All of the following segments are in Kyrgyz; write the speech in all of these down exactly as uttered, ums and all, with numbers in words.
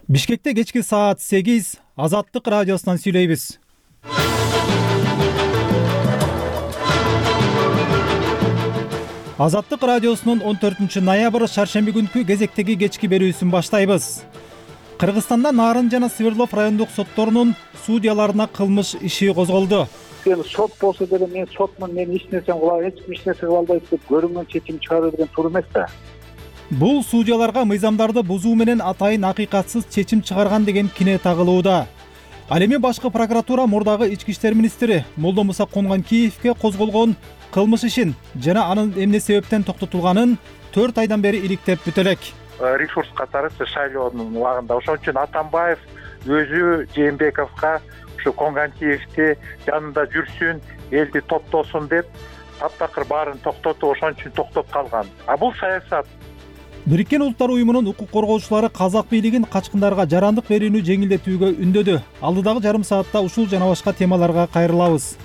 Бишкекте кечки саат сегиз Азаттык радиосунан сүйлөйбүз. Азаттык радиосунун он төртүнчү ноябрь шаршемби күнкү кезектеги кечки берүүсүн баштайбыз. Кыргызстанда Нарын жана Свердлов райондук сотторунун судьяларына кылмыш иши козголду. Эми сот болсо деле мен сотмун, мен эч нерсе кыла, эч эч нерсе кыла албайт деп көрүнгөн чечим чыгаруу деген туура эмес да. Бул судьяларга мыйзамдарды бузуу менен атайын акыйкатсыз чечим чыгарган деген кине тагылууда. Ал эми башкы прокуратура мурдагы ички иштер министри Молдомуса Конгонкиевке козголгон кылмыш ишин жана анын эмне себептен токтотулганын төрт айдан бери иликтеп бүтө элек. Ресурс катары шайлоонун убагында ошон үчүн Атамбаев өзү Жээнбековго ушу Конгонкиевди жанында жүрсүн, элди топтосун деп таптакыр баарын токтотуп, ошон үчүн токтоп калган. А бул саясат. Бириккен Улуттар уюмунун укук коргоочулары казак бийлигин качкындарга жарандык берүүнү жеңилдетүүгө үндөдү. Алдыдагы жарым саатта ушул жана башка темаларга кайрылабыз.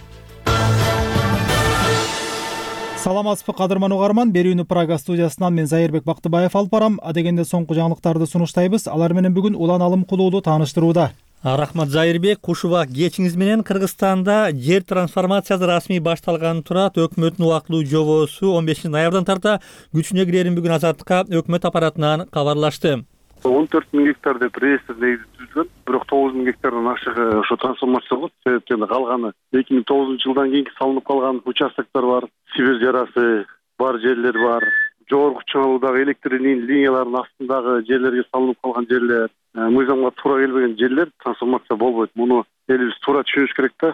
Саламатсызбы кадырман угарман, берүүнү Прага студиясынан мен Зайырбек Бактыбаев алып барам. Адегенде соңку жаңылыктарды сунуштайбыз. Алар менен бүгүн Улан Алымкулуулу тааныштырууда. Рахмат Зайырбек, кушуба кечиңиз менен Кыргызстанда жер трансформациясы расмий башталган турат. Өкмөттүн убактылуу жобосу он бешинчи ноябрдан тарта күчүнө кирерин бүгүн Азаттыкка өкмөт аппаратынан кабарлашты. он төрт миң гектар деп реестр негизи түзүлгөн, бирок тогуз миң гектардан ашыгы ошо трансформация болот. Себептен калганы эки миң тогузунчу жылдан кийинки салынып калган участоктор бар, Сибирь жарасы бар жерлер бар, жогорку чыңалуудагы электр линияларынын астындагы жерлерге салынып калган жерлер, мыйзамга туура келбеген жерлер трансформация болбойт. Муну элибиз туура түшүнүш керек да.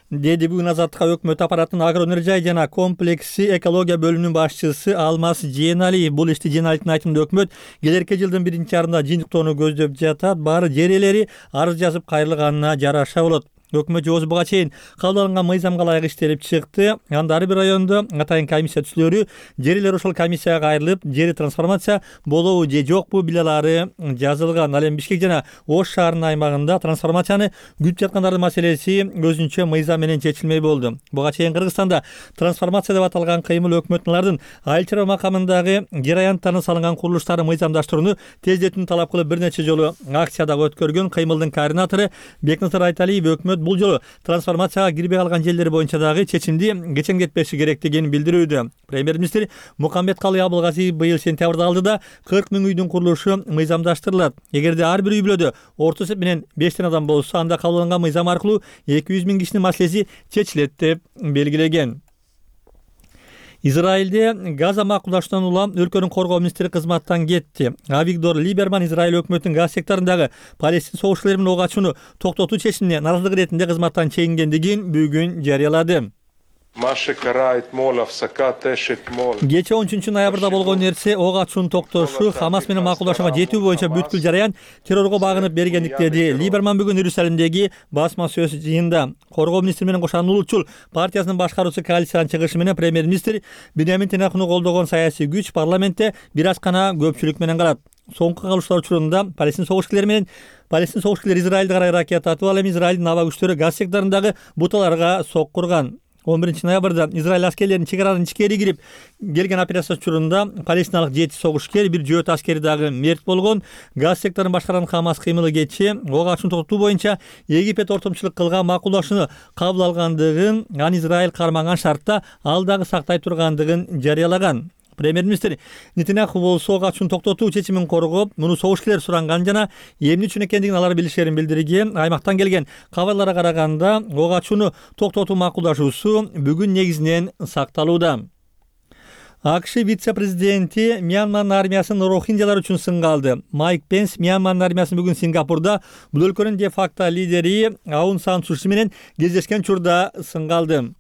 Деди бүгүн Азаттыкка өкмөт аппаратынын агроэнергия жана комплекси экология бөлүмүнүн башчысы Алмаз Жээналиев. Бул ишти Жээналиевдин айтымында өкмөт келерки жылдын биринчи жарымында жыйынтыктоону көздөп жатат. Баары жер ээлери арыз жазып кайрылганына жараша болот. Өкмөт жобосу буга чейин кабыл алынган мыйзамга ылайык иштелип чыкты. Анда ар бир райондо атайын комиссия түзүлөрү, жер ээлери ошол комиссияга кайрылып, жери трансформация болобу же жокпу биле алары жазылган. Ал эми Бишкек жана Ош шаарынын аймагында трансформацияны күтүп жаткандардын маселеси өзүнчө мыйзам менен чечилмей болду. Буга чейин Кыргызстанда трансформация деп аталган кыймыл өкмөттүн айыл чарба макамындагы жер аянттарына салынган курулуштарды мыйзамдаштырууну тездетүүнү талап кылып бир нече жолу акция дагы өткөргөн. Кыймылдын координатору Бекназар Айталиев өкмөт бул жолу трансформацияга кирбей калган жерлер боюнча дагы чечимди кечеңдетпеши керектигин билдирүүдө. Премьер-министр Мукамбеткалый Абылгазиев быйыл сентябрда алдыда кырк миң үйдүн курулушу мыйзамдаштырылат. Эгерде ар бир үй бүлөдө орто эсеп менен бештен адам болсо, анда кабыл алынган мыйзам аркылуу эки жүз миң кишинин маселеси чечилет деп белгилеген. Израилде Газа макулдашуудан улам өлкөнүн коргоо министри кызматтан кетти. Авигдор Либерман Израиль өкмөтүнүн Газа секторундагы Палестин согушчулары менен ок ачууну токтотуу чечимине наразылык иретинде кызматтан чегингендигин бүгүн жарыялады. Кечээ он үчүнчү ноябрда болгон нерсе ок ачууну токтошу, Хамас менен макулдашууга жетүү боюнча бүткүл жараян террорго багынып бергендик деди Либерман бүгүн Иерусалимдеги басма сөз жыйында. Коргоо министри менен кошан улутчул партиясынын башкаруучу коалициянын чыгышы менен премьер-министр Биньямин Нетаньяхуну колдогон саясий күч парламентте бир аз гана көпчүлүк менен калат. Соңку кагылыштар учурунда Палестин согушчулары менен Палестин согушчулары Израилди карай ракета атып, ал эми Израилдин аба күчтөрү Газа секторундагы буталарга соккурган. он биринчи ноябрда Израиль аскерлеринин чегаранын ичкери кирип келген операция учурунда палестиналык жети согушкер, бир жөөт аскери дагы мерт болгон. Газ секторун башкарган Хамас кыймылы кечээ ок ачууну токтотуу боюнча Египет ортомчулук кылган макулдашууну кабыл алгандыгын, аны Израиль кармаган шартта ал дагы сактай тургандыгын жарыялаган. Премьер-министр Нетаньяху болсо ок ачууну токтотуу чечимин коргоп, муну согушкерлер суранган жана эмне үчүн экендигин алар билишерин билдирген. Аймактан келген кабарларга караганда ок ачууну токтотуу макулдашуусу бүгүн негизинен сакталууда. АКШ вице-президенти Мьянманын армиясын рохинджалар үчүн сынга алды. Майк Пенс Мьянманын армиясын бүгүн Сингапурда бул өлкөнүн де-факто лидери Аун Сан Су Чи менен кездешкен учурда сынга алды.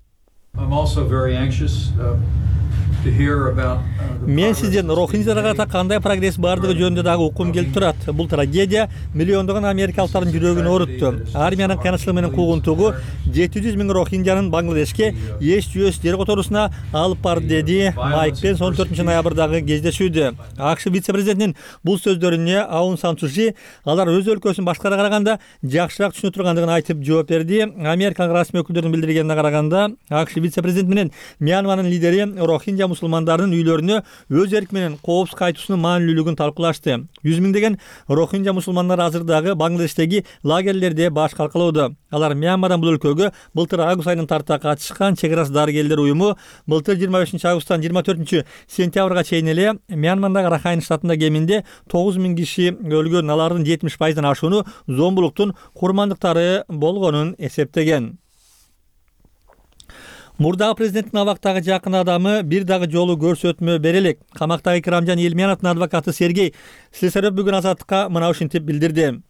Мен сизден рохинджаларга карата кандай прогресс бардыгы жөнүндө дагы уккум келип турат. Бул трагедия миллиондогон америкалыктардын жүрөгүн оорутtu. Армиянын кыянчылыгы менен куугунтугу жети жүз миң рохинджанын Бангладешке эч жүйөс жер которуусуна алып барды, деди Майк Пенс он төртүнчү ноябрдагы кездешүүдө. АКШ вице-президентинин бул сөздөрүнө Аун Сан Су Чи алар өз өлкөсүн башкаларга караганда жакшыраак түшүнө тургандыгын айтып жооп берди. Америкалык расмий өкүлдөрдүн билдиргенине караганда АКШ вице-президенти менен Мьянманын лидери рохинджа мусулмандардын үйлөрүнө өз эрки менен коопсуз кайтуусунун маанилүүлүгүн талкуулашты. Жүз миңдеген рохинжа мусулмандар азырдагы Бангладештеги лагерлерде баш калкалоодо. Алар Мьянмадан бул өлкөгө былтыр август айынын тарта катышкан чек арасы дарыгерлер уюму былтыр жыйырма бешинчи августтан жыйырма төртүнчү сентябрга чейин эле Мьянмадагы Рахайн штатында кеминде тогуз миң киши өлгөн, алардын жетимиш пайыздан ашууну зомбулуктун курмандыктары болгонун эсептеген. Мурдагы президенттин абактагы жакын адамы бир дагы жолу көрсөтмө бере элек. Камактагы Икрамжан Илмяновдун адвокаты Сергей Слесарев бүгүн Азаттыкка мына ушинтип билдирди.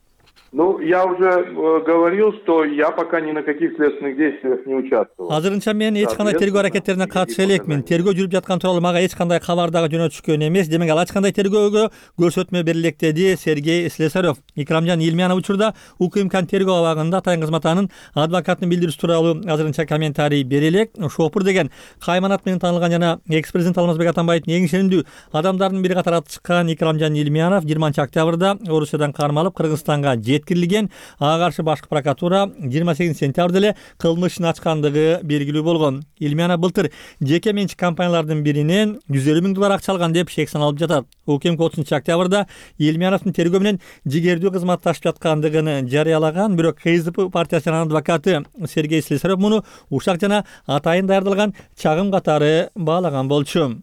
Ну, я уже э, говорил, что я пока ни на каких следственных действиях не участвовал. Азырынча мен эч кандай тергөө аракеттерине катыша элекмин. Тергөө жүрүп жаткан тууралуу мага эч кандай кабар дагы жөнөтүшкөн эмес. Демек ал ачык кандай тергөөгө көрсөтмө бере элек, деди Сергей Слесарев. Икрамжан Илмянов учурда УКМКнын тергөө абагында Атайын кызматанын адвокатынын билдирүүсү тууралуу азырынча комментарий бере элек. Шопур деген кайманат менен таанылган жана экс-президент Алмазбек Атамбаевдин эң ишенимдүү адамдарынын бири катары аты чыккан Икрамжан Илмянов жыйырманчы октябрда Орусиядан кармалып Кыргызстанга жеткирилген. Ага каршы башкы прокуратура жыйырма сегизинчи сентябрда эле кылмыш ишин ачкандыгы белгилүү болгон. Илмянов былтыр жеке менчик компаниялардын биринен жүз элүү миң доллар акча алган деп шек саналып жатат. УКМК отузунчу октябрда Илмяновдун тергөө менен жигердүү кызматташып жаткандыгын жарыялаган, бирок КСДП партиясынын адвокаты Сергей Слесарев муну ушак жана атайын даярдалган чагым катары баалаган болчу.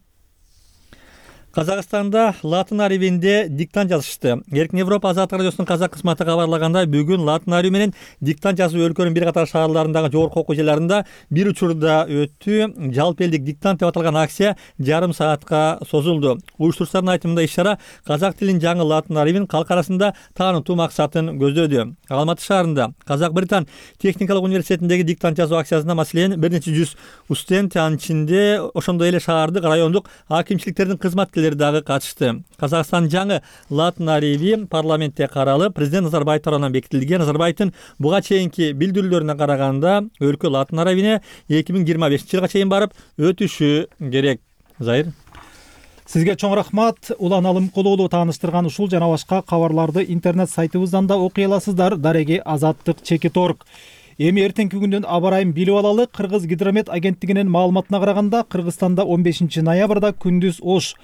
Казакстанда Латынариевинде диктант жазышты. Эркин Европа Азаттык радиосунун казак кызматы кабарлагандай, бүгүн Латынариев менен диктант жазуу өлкөнүн бир катар шаарларындагы жогорку окуу жайларында бир учурда өттү. Жалпы элдик диктант деп аталган акция жарым саатка созулду. Уюштуруучулардын айтымында иш-чара казак тилин жаңы Латынариевин калк арасында таанытуу максатын көздөдү. Алматы шаарында Казак-Британ техникалык университетиндеги диктант жазуу акциясына маселен бир нече жүз студент, анын ичинде ошондой эле шаардык, райондук акимчиликтердин кызматкерлери дагы катышты. Казакстан жаңы Латынариеви парламентте каралып, президент Назарбаев тарабынан бекитилген. Назарбаевдин буга чейинки билдирүүлөрүнө караганда өлкө Латынариевине эки миң жыйырма бешинчи жылга чейин барып өтүшү керек. Зайыр. Сизге чоң рахмат. Улан Алымкулуулу тааныштырган ушул жана башка кабарларды интернет сайтыбыздан да окуй аласыздар. Дареги Азаттык чекит точка орг. Эми эртеңки күндүн аба ырайын билип алалы. Кыргыз гидромет агенттигинин маалыматына караганда, Кыргызстанда он бешинчи ноябрда күндүз Ош,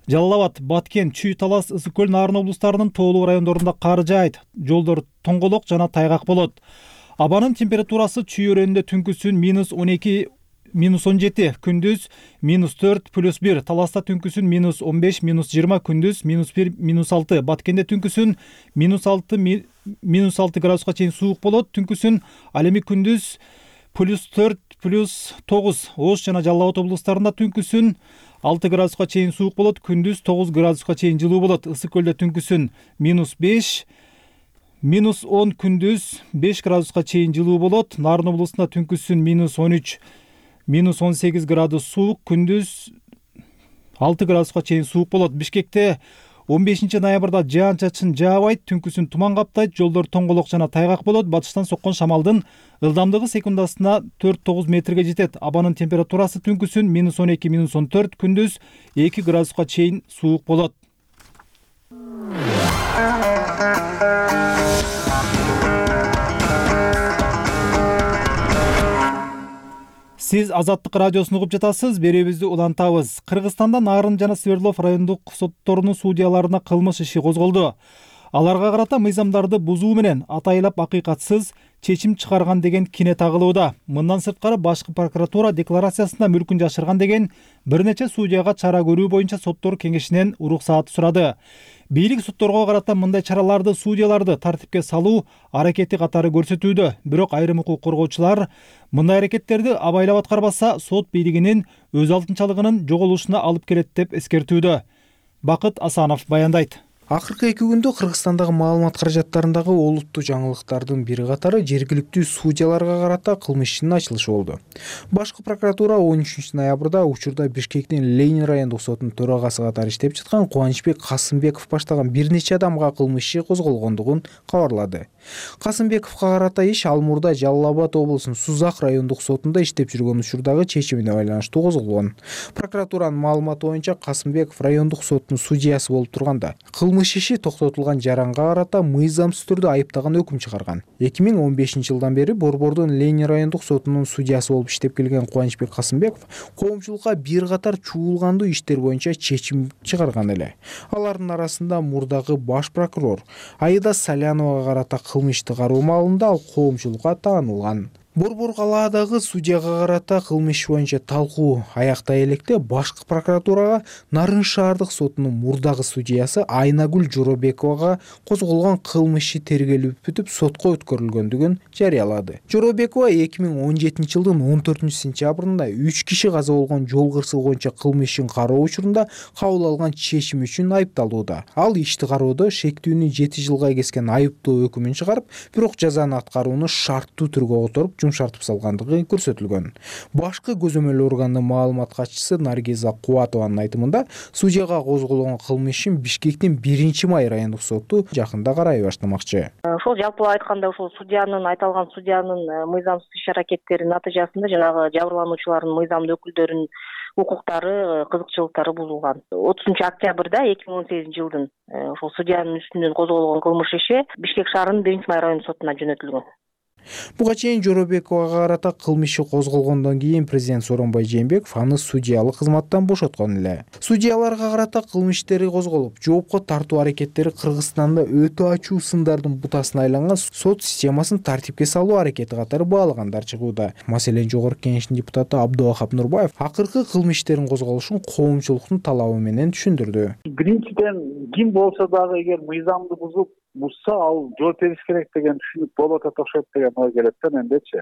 Жалал Абад, Баткен, Чүй, Талас, Ысык көл, Нарын облустарынын тоолуу райондорунда кар жаайт. Жолдор тоңголок жана тайгак болот. Абанын температурасы Чүй өрөөнүндө түнкүсүн минус он эки, минус он жети, күндүз минус төрт, плюс бир, Таласта түнкүсүн минус он беш, минус жыйырма, күндүз минус бир, минус алты, Баткенде түнкүсүн минус алты, минус алты градуска чейин суук болот. Түнкүсүн ал эми күндүз плюс төрт, плюс тогуз, Ош жана Жалал Абад облустарында түнкүсүн алты градуска чейин суук болот, күндүз тогуз градуска чейин жылуу болот. Ысык көлдө түнкүсүн минус беш, минус он, күндүз беш градуска чейин жылуу болот. Нарын облусунда түнкүсүн минус он үч, минус он сегиз градус суук, күндүз алты градуска чейин суук болот. Бишкекте он бешинчи ноябрда жаан чачын жаабайт, түнкүсүн туман каптайт, жолдор тоңголок жана тайгак болот. Батыштан соккон шамалдын ылдамдыгы секундасына төрт тогуз метрге жетет. Абанын температурасы түнкүсүн минус он эки, минус он төрт, күндүз эки градуска чейин суук болот. Сиз Азаттык радиосун угуп жатасыз. Берүүбүздү улантабыз. Кыргызстанда Нарын жана Свердлов райондук сотторунун судьяларына кылмыш иши козголду. Аларга карата мыйзамдарды бузуу менен атайлап акыйкатсыз чечим чыгарган деген кине тагылууда. Мындан сырткары башкы прокуратура декларациясында мүлкүн жашырган деген бир нече судьяга чара көрүү боюнча соттор кеңешинен уруксаат сурады. Бийлик сотторго карата мындай чараларды судьяларды тартипке салуу аракети катары көрсөтүүдө. Бирок айрым укук коргоочулар мындай аракеттерди абайлап аткарбаса сот бийлигинин өз алтынчалыгынын жоголушуна алып келет деп эскертүүдө. Бакыт Асанов баяндайт. Акыркы эки күндө Кыргызстандагы маалымат каражаттарындагы олуттуу жаңылыктардын бири катары жергиликтүү судьяларга карата кылмыш ишинин ачылышы болду. Башкы прокуратура он үчүнчү ноябрда учурда Бишкектин Ленин райондук сотунун төрагасы катары иштеп жаткан Кубанычбек Касымбеков баштаган бир нече адамга кылмыш иши козголгондугун кабарлады. Касымбековго карата иш ал мурда Жалал Абад облусунун Сузак райондук сотунда иштеп жүргөн учурдагы чечимине байланыштуу козголгон. Прокуратуранын маалыматы боюнча Касымбеков райондук сотунун судьясы болуп турганда, кылмыш кылмыш иши токтотулган жаранга карата мыйзамсыз түрдө айыптаган өкүм чыгарган. эки миң он бешинчи жылдан бери Борбордун Ленин райондук сотунун судьясы болуп иштеп келген Кубанычбек Касымбеков коомчулукка бир катар чуулгандуу иштер боюнча чечим чыгарган эле. Алардын арасында мурдагы баш прокурор Аида Саляновага карата кылмышты кароо маалында ал коомчулукка таанылган. Борбор калаадагы судьяга карата кылмыш боюнча талкуу аяктай электе башкы прокуратурага Нарын шаардык сотунун мурдагы судьясы Айнагүл Жоробековага козголгон кылмыш иши тергелип бүтүп сотко өткөрүлгөндүгүн жарыялады. Жоробекова эки миң он жетинчи жылдын он төртүнчү сентябрында үч киши каза болгон жол кырсыгы боюнча кылмыш ишин кароо учурунда кабыл алган чечим үчүн айыпталууда. Ал ишти кароодо шектүүнү жети жылга кескен айыптоо өкүмүн чыгарып, бирок жазаны аткарууну шарттуу түргө которуп шартып салгандыгы көрсөтүлгөн. Башкы көзөмөл органдын маалымат катчысы Наргиза Кубатованын айтымында, судьяга козголгон кылмыш ишин Бишкектин биринчи май райондук соту жакында карай баштамакчы. Ошол жалпылап айтканда ошол судьянын айтылган судьянын мыйзамсыз иш-аракеттеринин натыйжасында жанагы жабырлануучулардын мыйзамдуу өкүлдөрүнүн укуктары, кызыкчылыктары бузулган. отузунчу октябрда эки миң он сегизинчи жылдын ошол судьянын үстүнөн козголгон кылмыш иши Бишкек шаарынын биринчи май райондук сотуна жөнөтүлгөн. Буга чейин Жоробековага карата кылмыш иши козголгондон кийин президент Сооронбай Жээнбеков аны судьялык кызматтан бошоткон эле. Судьяларга карата кылмыш иштери козголуп, жоопко тартуу аракеттери Кыргызстанда өтө ачуу сындардын бутасына айланган сот системасын тартипке салуу аракети катары баалагандар чыгууда. Маселен, Жогорку Кеңештин депутаты Абдубахап Нурбаев акыркы кылмыш иштерин козголушун коомчулуктун талабы менен түшүндүрдү. Биринчиден, ким болсо дагы эгер мыйзамды бузуп бузса, ал жооп бериш керек деген түшүнүк болот окшойт деген ой келет да мендечи.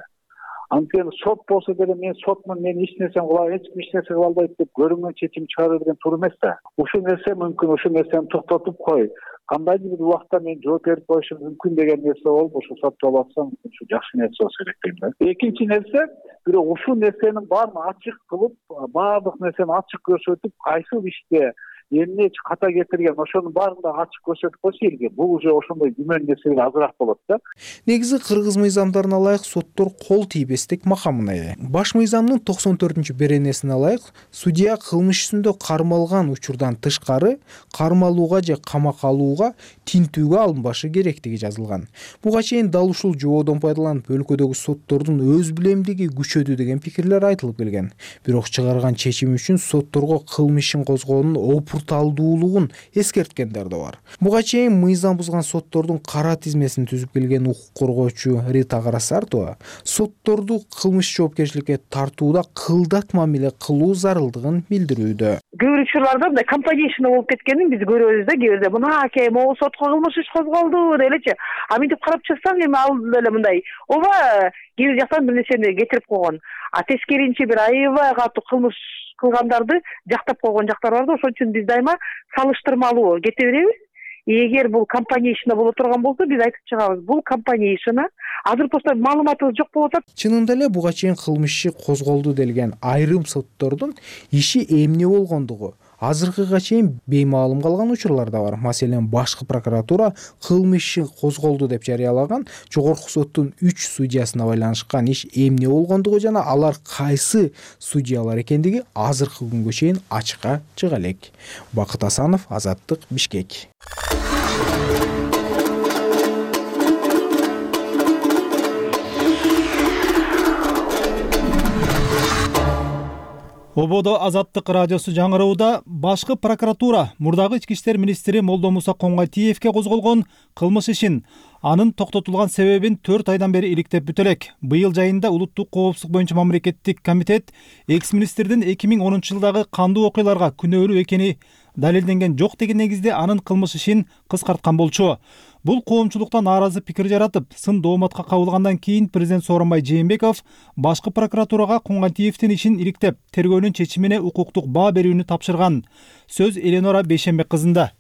Анткени сот болсо деле мен сотмун, мен эч нерсени кылам, эч ким эч нерсе кыла албайт деп көрүнгөн чечим чыгаруу деген туура эмес да. Ушул нерсе мүмкүн, ушул нерсени токтотуп кой. Кандайдыр бир убакта мен жооп берип коюшум мүмкүн деген нерсе болуп, ушул соттолуп атсам, ушул жакшы нерсе болсо керек дейм да. Экинчи нерсе, бирок ушул нерсенин баарын ачык кылып, баардык нерсени ачык көрсөтүп, кайсыл иште эмне ката кетирген, ошонун баарын да ачык көрсөтүп койсо элге, бул уже ошондой күмөн нерселер азыраак болот да. Негизи кыргыз мыйзамдарына ылайык соттор кол тийбестик макамына ээ. Баш мыйзамдын токсон төртүнчү беренесине ылайык, судья кылмыш үстүндө кармалган учурдан тышкары кармалууга же камакка алууга, тинтүүгө алынбашы керектиги жазылган. Буга чейин дал ушул жободон пайдаланып өлкөдөгү соттордун өз билемдиги күчөдү деген пикирлер айтылып келген. Бирок чыгарган чечим үчүн сотторго кылмыш ишин козгоонун опурталдуулугун эскерткендер да бар. Буга чейин мыйзам бузган соттордун кара тизмесин түзүп келген укук коргоочу Рита Карасартова сотторду кылмыш жоопкерчиликке тартууда кылдат мамиле кылуу зарылдыгын билдирүүдө. Көп учурларда мындай компанияшына болуп кеткенин биз көрөбүз да, кээ бирде мынакей могу сотко кылмыш иш козголду делечи. А мынтип карап чыксаң эми ал эле мындай ооба кээ бир жактан бир нерсени кетирип койгон. А тескеринчи бир аябай катуу кылмыш кылгандарды жактап койгон жактар бар да, ошон үчүн биз дайыма салыштырмалуу кете беребиз. Эгер бул компания ишине боло турган болсо, биз айтып чыгабыз, бул компания ишине азыр просто маалыматыбыз жок болуп атат. Чынында эле буга чейин кылмыш иши козголду делген айрым соттордун иши эмне болгондугу азыркыга чейин беймаалым калган учурлар да бар. Маселен, башкы прокуратура кылмыш иши козголду деп жарыялаган жогорку соттун үч судьясына байланышкан иш эмне болгондугу жана алар кайсы судьялар экендиги азыркы күнгө чейин ачыкка чыга элек. Бакыт Асанов, Азаттык, Бишкек. Ободо Азаттык радиосу жаңырууда. Башкы прокуратура мурдагы ички иштер министри Молдомуса Коңгатиевке козголгон кылмыш ишин анын токтотулган себебин төрт айдан бери иликтеп бүтө элек. Быйыл жайында улуттук коопсуздук боюнча мамлекеттик комитет экс-министрдин эки миң онунчу жылдагы кандуу окуяларга күнөөлүү экени далилденген жок деген негизде анын кылмыш ишин кыскарткан болчу. Бул коомчулукта нааразы пикир жаратып, сын дооматка кабылгандан кийин президент Сооронбай Жээнбеков башкы прокуратурага Коңгатиевдин ишин иликтеп, тергөөнүн чечимине укуктук баа берүүнү тапшырган. Сөз Эленора Бейшенбек кызында.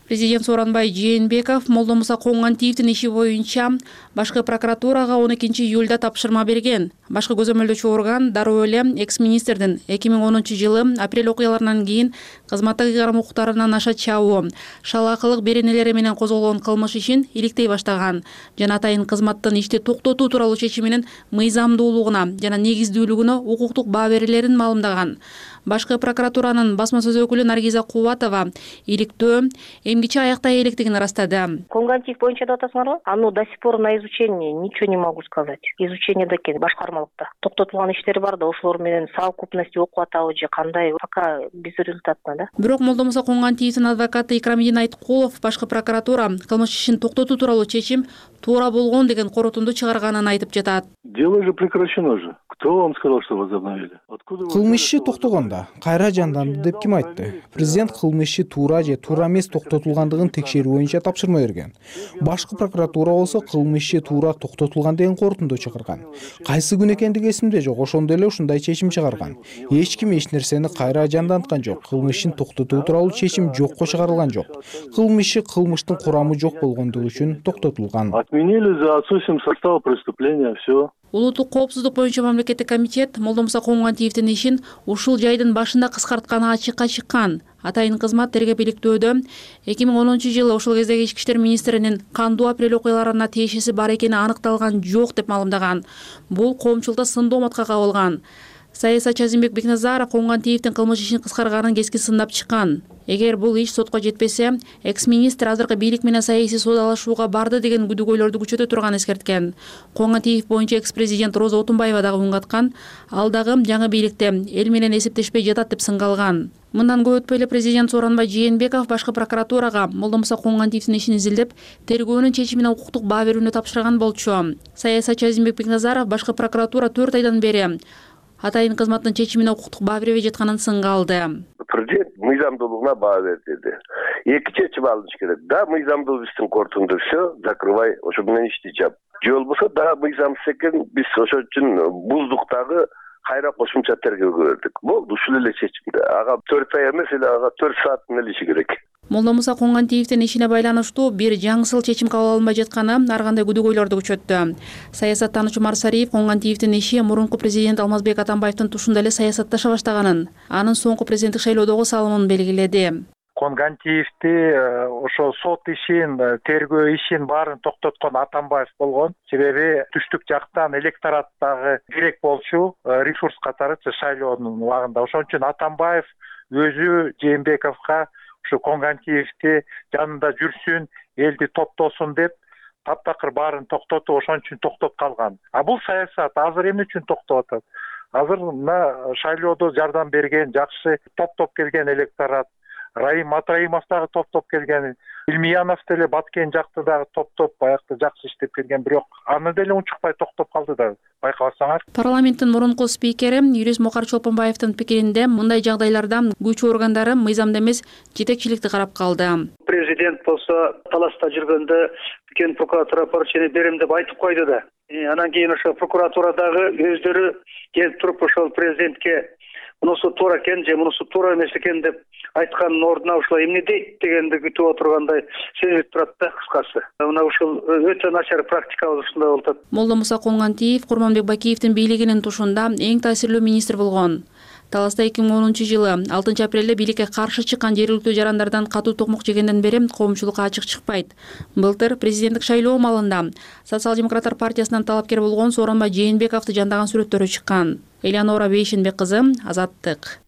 Президент Сооронбай Жээнбеков Молдомуса Коңгатиевдин иши боюнча башкы прокуратурага он экинчи июлда тапшырма берген. Башкы көзөмөлдөөчү орган дароо эле экс министрдин эки миң онунчу жылы апрель окуяларынан кийин кызматтык ыйгарым укуктарынан аша чабуу, шалаакылык беренелери менен козголгон кылмыш ишин иликтей баштаган жана атайын кызматтын ишти токтотуу тууралуу чечиминин мыйзамдуулугуна жана негиздүүлүгүнө укуктук баа берилерин маалымдаган. Башкы прокуратуранын басма сөз өкүлү Наргиза Кубатова иликтөө эмгиче аяктай электигин ырастады. Конгантиев боюнча деп атасыңарбы? Ану до сих пор на изучение, ничего не могу сказать. Изучение да экен башкармалыкта. Токтотулган иштер бар да, ошолор менен совокупности окуп атабы же кандай, пока безрезультатно да. Бирок Молдомуса Конгантиевдин адвокаты Икрамидин Айткулов башкы прокуратура кылмыш ишин токтотуу тууралуу чечим туура болгон деген корутунду чыгарганын айтып жатат. Дело же прекращено же. Кто вам сказал, что возобновили? Кылмыш иши токтогондо кайра жанданды деп ким айтты? Президент кылмыш иши туура же туура эмес токтотулгандыгын текшерүү боюнча тапшырма берген. Башкы прокуратура болсо кылмыш иши туура токтотулган деген корутунду чыгарган. Кайсы күн экендиги эсимде жок, ошондо эле ушундай чечим чыгарган. Эч ким эч нерсени кайра жанданткан жок. Кылмыш ишин токтотуу тууралуу чечим жокко чыгарылган жок. Кылмыш иши кылмыштын курамы жок болгондугу үчүн токтотулган. Отменили за отсутствием состава преступления, все. Улуттук коопсуздук боюнча мамлекеттик комитет Молдомуса Конгантиевдин ишин ушул жайдын башында кыскартканы ачыкка чыккан. Атайын кызмат тергеп иликтөөдө эки миң онунчу жылы ошол кездеги ички иштер министринин кандуу апрель окуяларына тиешеси бар экени аныкталган жок деп маалымдаган. Бул коомчулукта сындооматка кабылган. Саясатчы Азимбек Бекназаров Конгантиевдин кылмыш ишин кыскарганын кесkin сындап чыккан. Эгер бул иш сотко жетпесе, экс-министр азыркы бийлик менен саясий соодалашууга барды деген күдүгөйлөрдү күчөтө турганын эскерткен. Конгантиев боюнча экс-президент Роза Отунбаева дагы үн каткан. Ал дагы жаңы бийликте эл менен эсептешпей жатат деп сынгалган. Мындан көп өтпөй эле президент Сооронбай Жээнбеков башкы прокуратурага Молдомуса Конгантиевдин ишин изилдеп, тергөөнүн чечимине укуктук баа берүүнү тапшырган болчу. Саясатчы Азимбек Бекназаров башкы прокуратура төрт айдан бери атайын кызматтын чечимине укуктук баа бербей жатканын сынгалды. Президент мыйзамдуулугуна баа берди. Эки чечим алыныш керек. Да, мыйзамдуу иштин кортунду все, закрывай, ошо менен ишти чап. Же болбосо да мыйзамсыз экен, биз ошол үчүн буздук дагы кайра кошумча тергөөгө бердик. Болду, ушул эле чечимде. Ага төрт ай эмес эле ага төрт сааттын эле иши керек. Молдомуса Конгантиевдин ишине байланыштуу бир жаңысыл чечим кабыл алынбай жатканы ар кандай күдүгөйлөрдү күчөттү. Саясаттануучу Марсариев Конгантиевдин иши мурунку президент Алмазбек Атамбаевдин тушунда эле саясатташа баштаганын, анын соңку президенттик шайлоодогу салымын белгиледи. Конгантиевди ошо сот ишин, тергөө ишин баарын токтоткон Атамбаев болгон. Себеби түштүк жактан электораттагы керек болчу ресурс катары шайлоонун убагында. Ошон үчүн Атамбаев өзү Жээнбековго ушу Конгантиевди жанында жүрсүн, элди топтосун деп таптакыр баарын токтотуп, ошон үчүн токтоп калган. А бул саясат азыр эмне үчүн токтоп атат? Азыр мына шайлоодо жардам берген, жакшы топтоп келген электорат, Раим Атраимов дагы топтоп келген, Илмиянов деле Баткен жакты дагы топтоп баягы жакшы иштеп келген, бирок аны деле унчукпай токтоп калды да, байкабасаңар. Парламенттин мурунку спикери юрист Мукар Чолпонбаевдин пикиринде мындай жагдайларда күч органдары мыйзамды эмес жетекчиликти карап калды. Президент болсо таласта жүргөндө кен прокуратура поручение берем деп айтып койду да. Анан кийин ошо прокуратурадагы өздөрү келип туруп ошол президентке мунусу туура экен же мунусу туура эмес экен деп айткандын ордуна ушул эмне дейт дегенди күтүп отургандай сезилип турат да кыскасы. Мына ушул өтө начар практика ушундай болуп атат. Молдомуса Конгантиев Курманбек Бакиевдин бийлигинин тушунда эң таасирлүү министр болгон. Таласта эки миң онунчу жылы алтынчы апрелде бийликке каршы чыккан жергиликтүү жарандардан катуу токмок жегенден бери коомчулукка ачык чыкпайт. Былтыр президенттик шайлоо маалында Социал-демократтар партиясынан талапкер болгон Сооронбай Жээнбековду жандаган сүрөттөрү чыккан. Элеонора Бейшенбек кызы, Азаттык.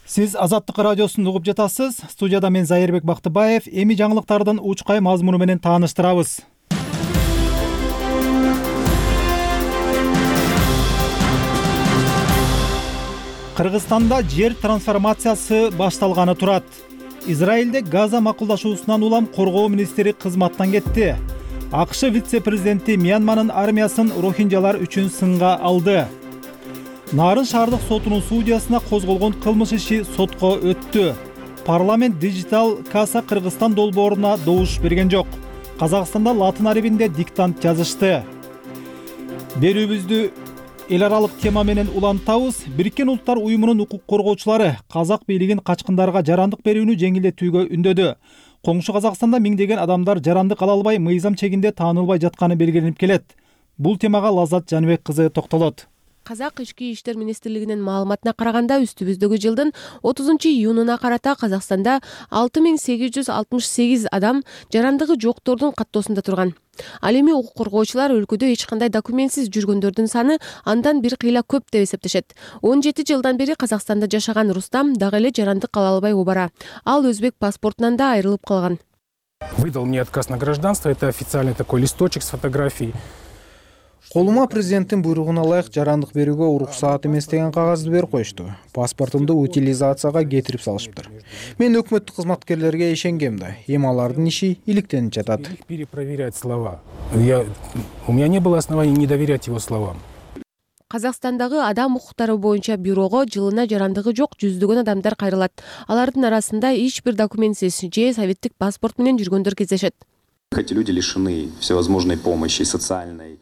Сиз Азаттык радиосун угуп жатасыз. Студияда мен Зайырбек Бактыбаев. Эми жаңылыктардын учкай мазмуну менен тааныштырабыз. Кыргызстанда жер трансформациясы башталганы турат. Израилде Газа макулдашуусунан улам коргоо министри кызматтан кетти. АКШ вице-президенти Мьянманын армиясын рохинджалар үчүн сынга алды. Нарын шаардык сотунун судьясына козголгон кылмыш иши сотко өттү. Парламент Digital Casa Кыргызстан долбооруна добуш берген жок. Казакстанда латын арабинде диктант жазышты. Берүүбүздү эл аралык тема менен улантабыз. Бириккен Улуттар уюмунун укук коргоочулары казак бийлигин качкындарга жарандык берүүнү жеңилдетүүгө үндөдү. Коңшу Казакстанда миңдеген адамдар жарандык ала албай, мыйзам чегинде таанылбай жатканы белгиленип келет. бул темага Лаззат Жаныбек кызы токтолот. Казак ички иштер министрлигинин маалыматына караганда үстүбүздөгү жылдын отузунчу июнуна карата Казакстанда алты миң сегиз жүз алтымыш сегиз адам жарандыгы жоктордун каттоосунда турган. Ал эми укук коргоочулар өлкөдө эч кандай документсиз жүргөндөрдүн саны андан бир кыйла көп деп эсептешет. он жети жылдан бери Казакстанда жашаган Рустам дагы эле жарандык ала албай обара. Ал өзбек паспортунан да айрылып калган. Выдал мне отказ на гражданство. Это официальный такой листочек с фотографией. Колума президенттин буйругуна ылайык жарандык берүүгө уруксаат эмес деген кагазды берип коюшту. Паспортумду утилизацияга кетирип салышыптыр. Мен өкмөттүк кызматкерлерге ишенгем да. Эми алардын иши иликтенип жатат. Перепроверять слова. Я... У меня не было оснований не доверять его словам. Казакстандагы адам укуктары боюнча бюрого жылына жарандыгы жок жүздөгөн адамдар кайрылат. Алардын арасында эч бир документсиз же советтик паспорт менен жүргөндөр кездешет. Эти люди лишены всевозможной помощи социальной.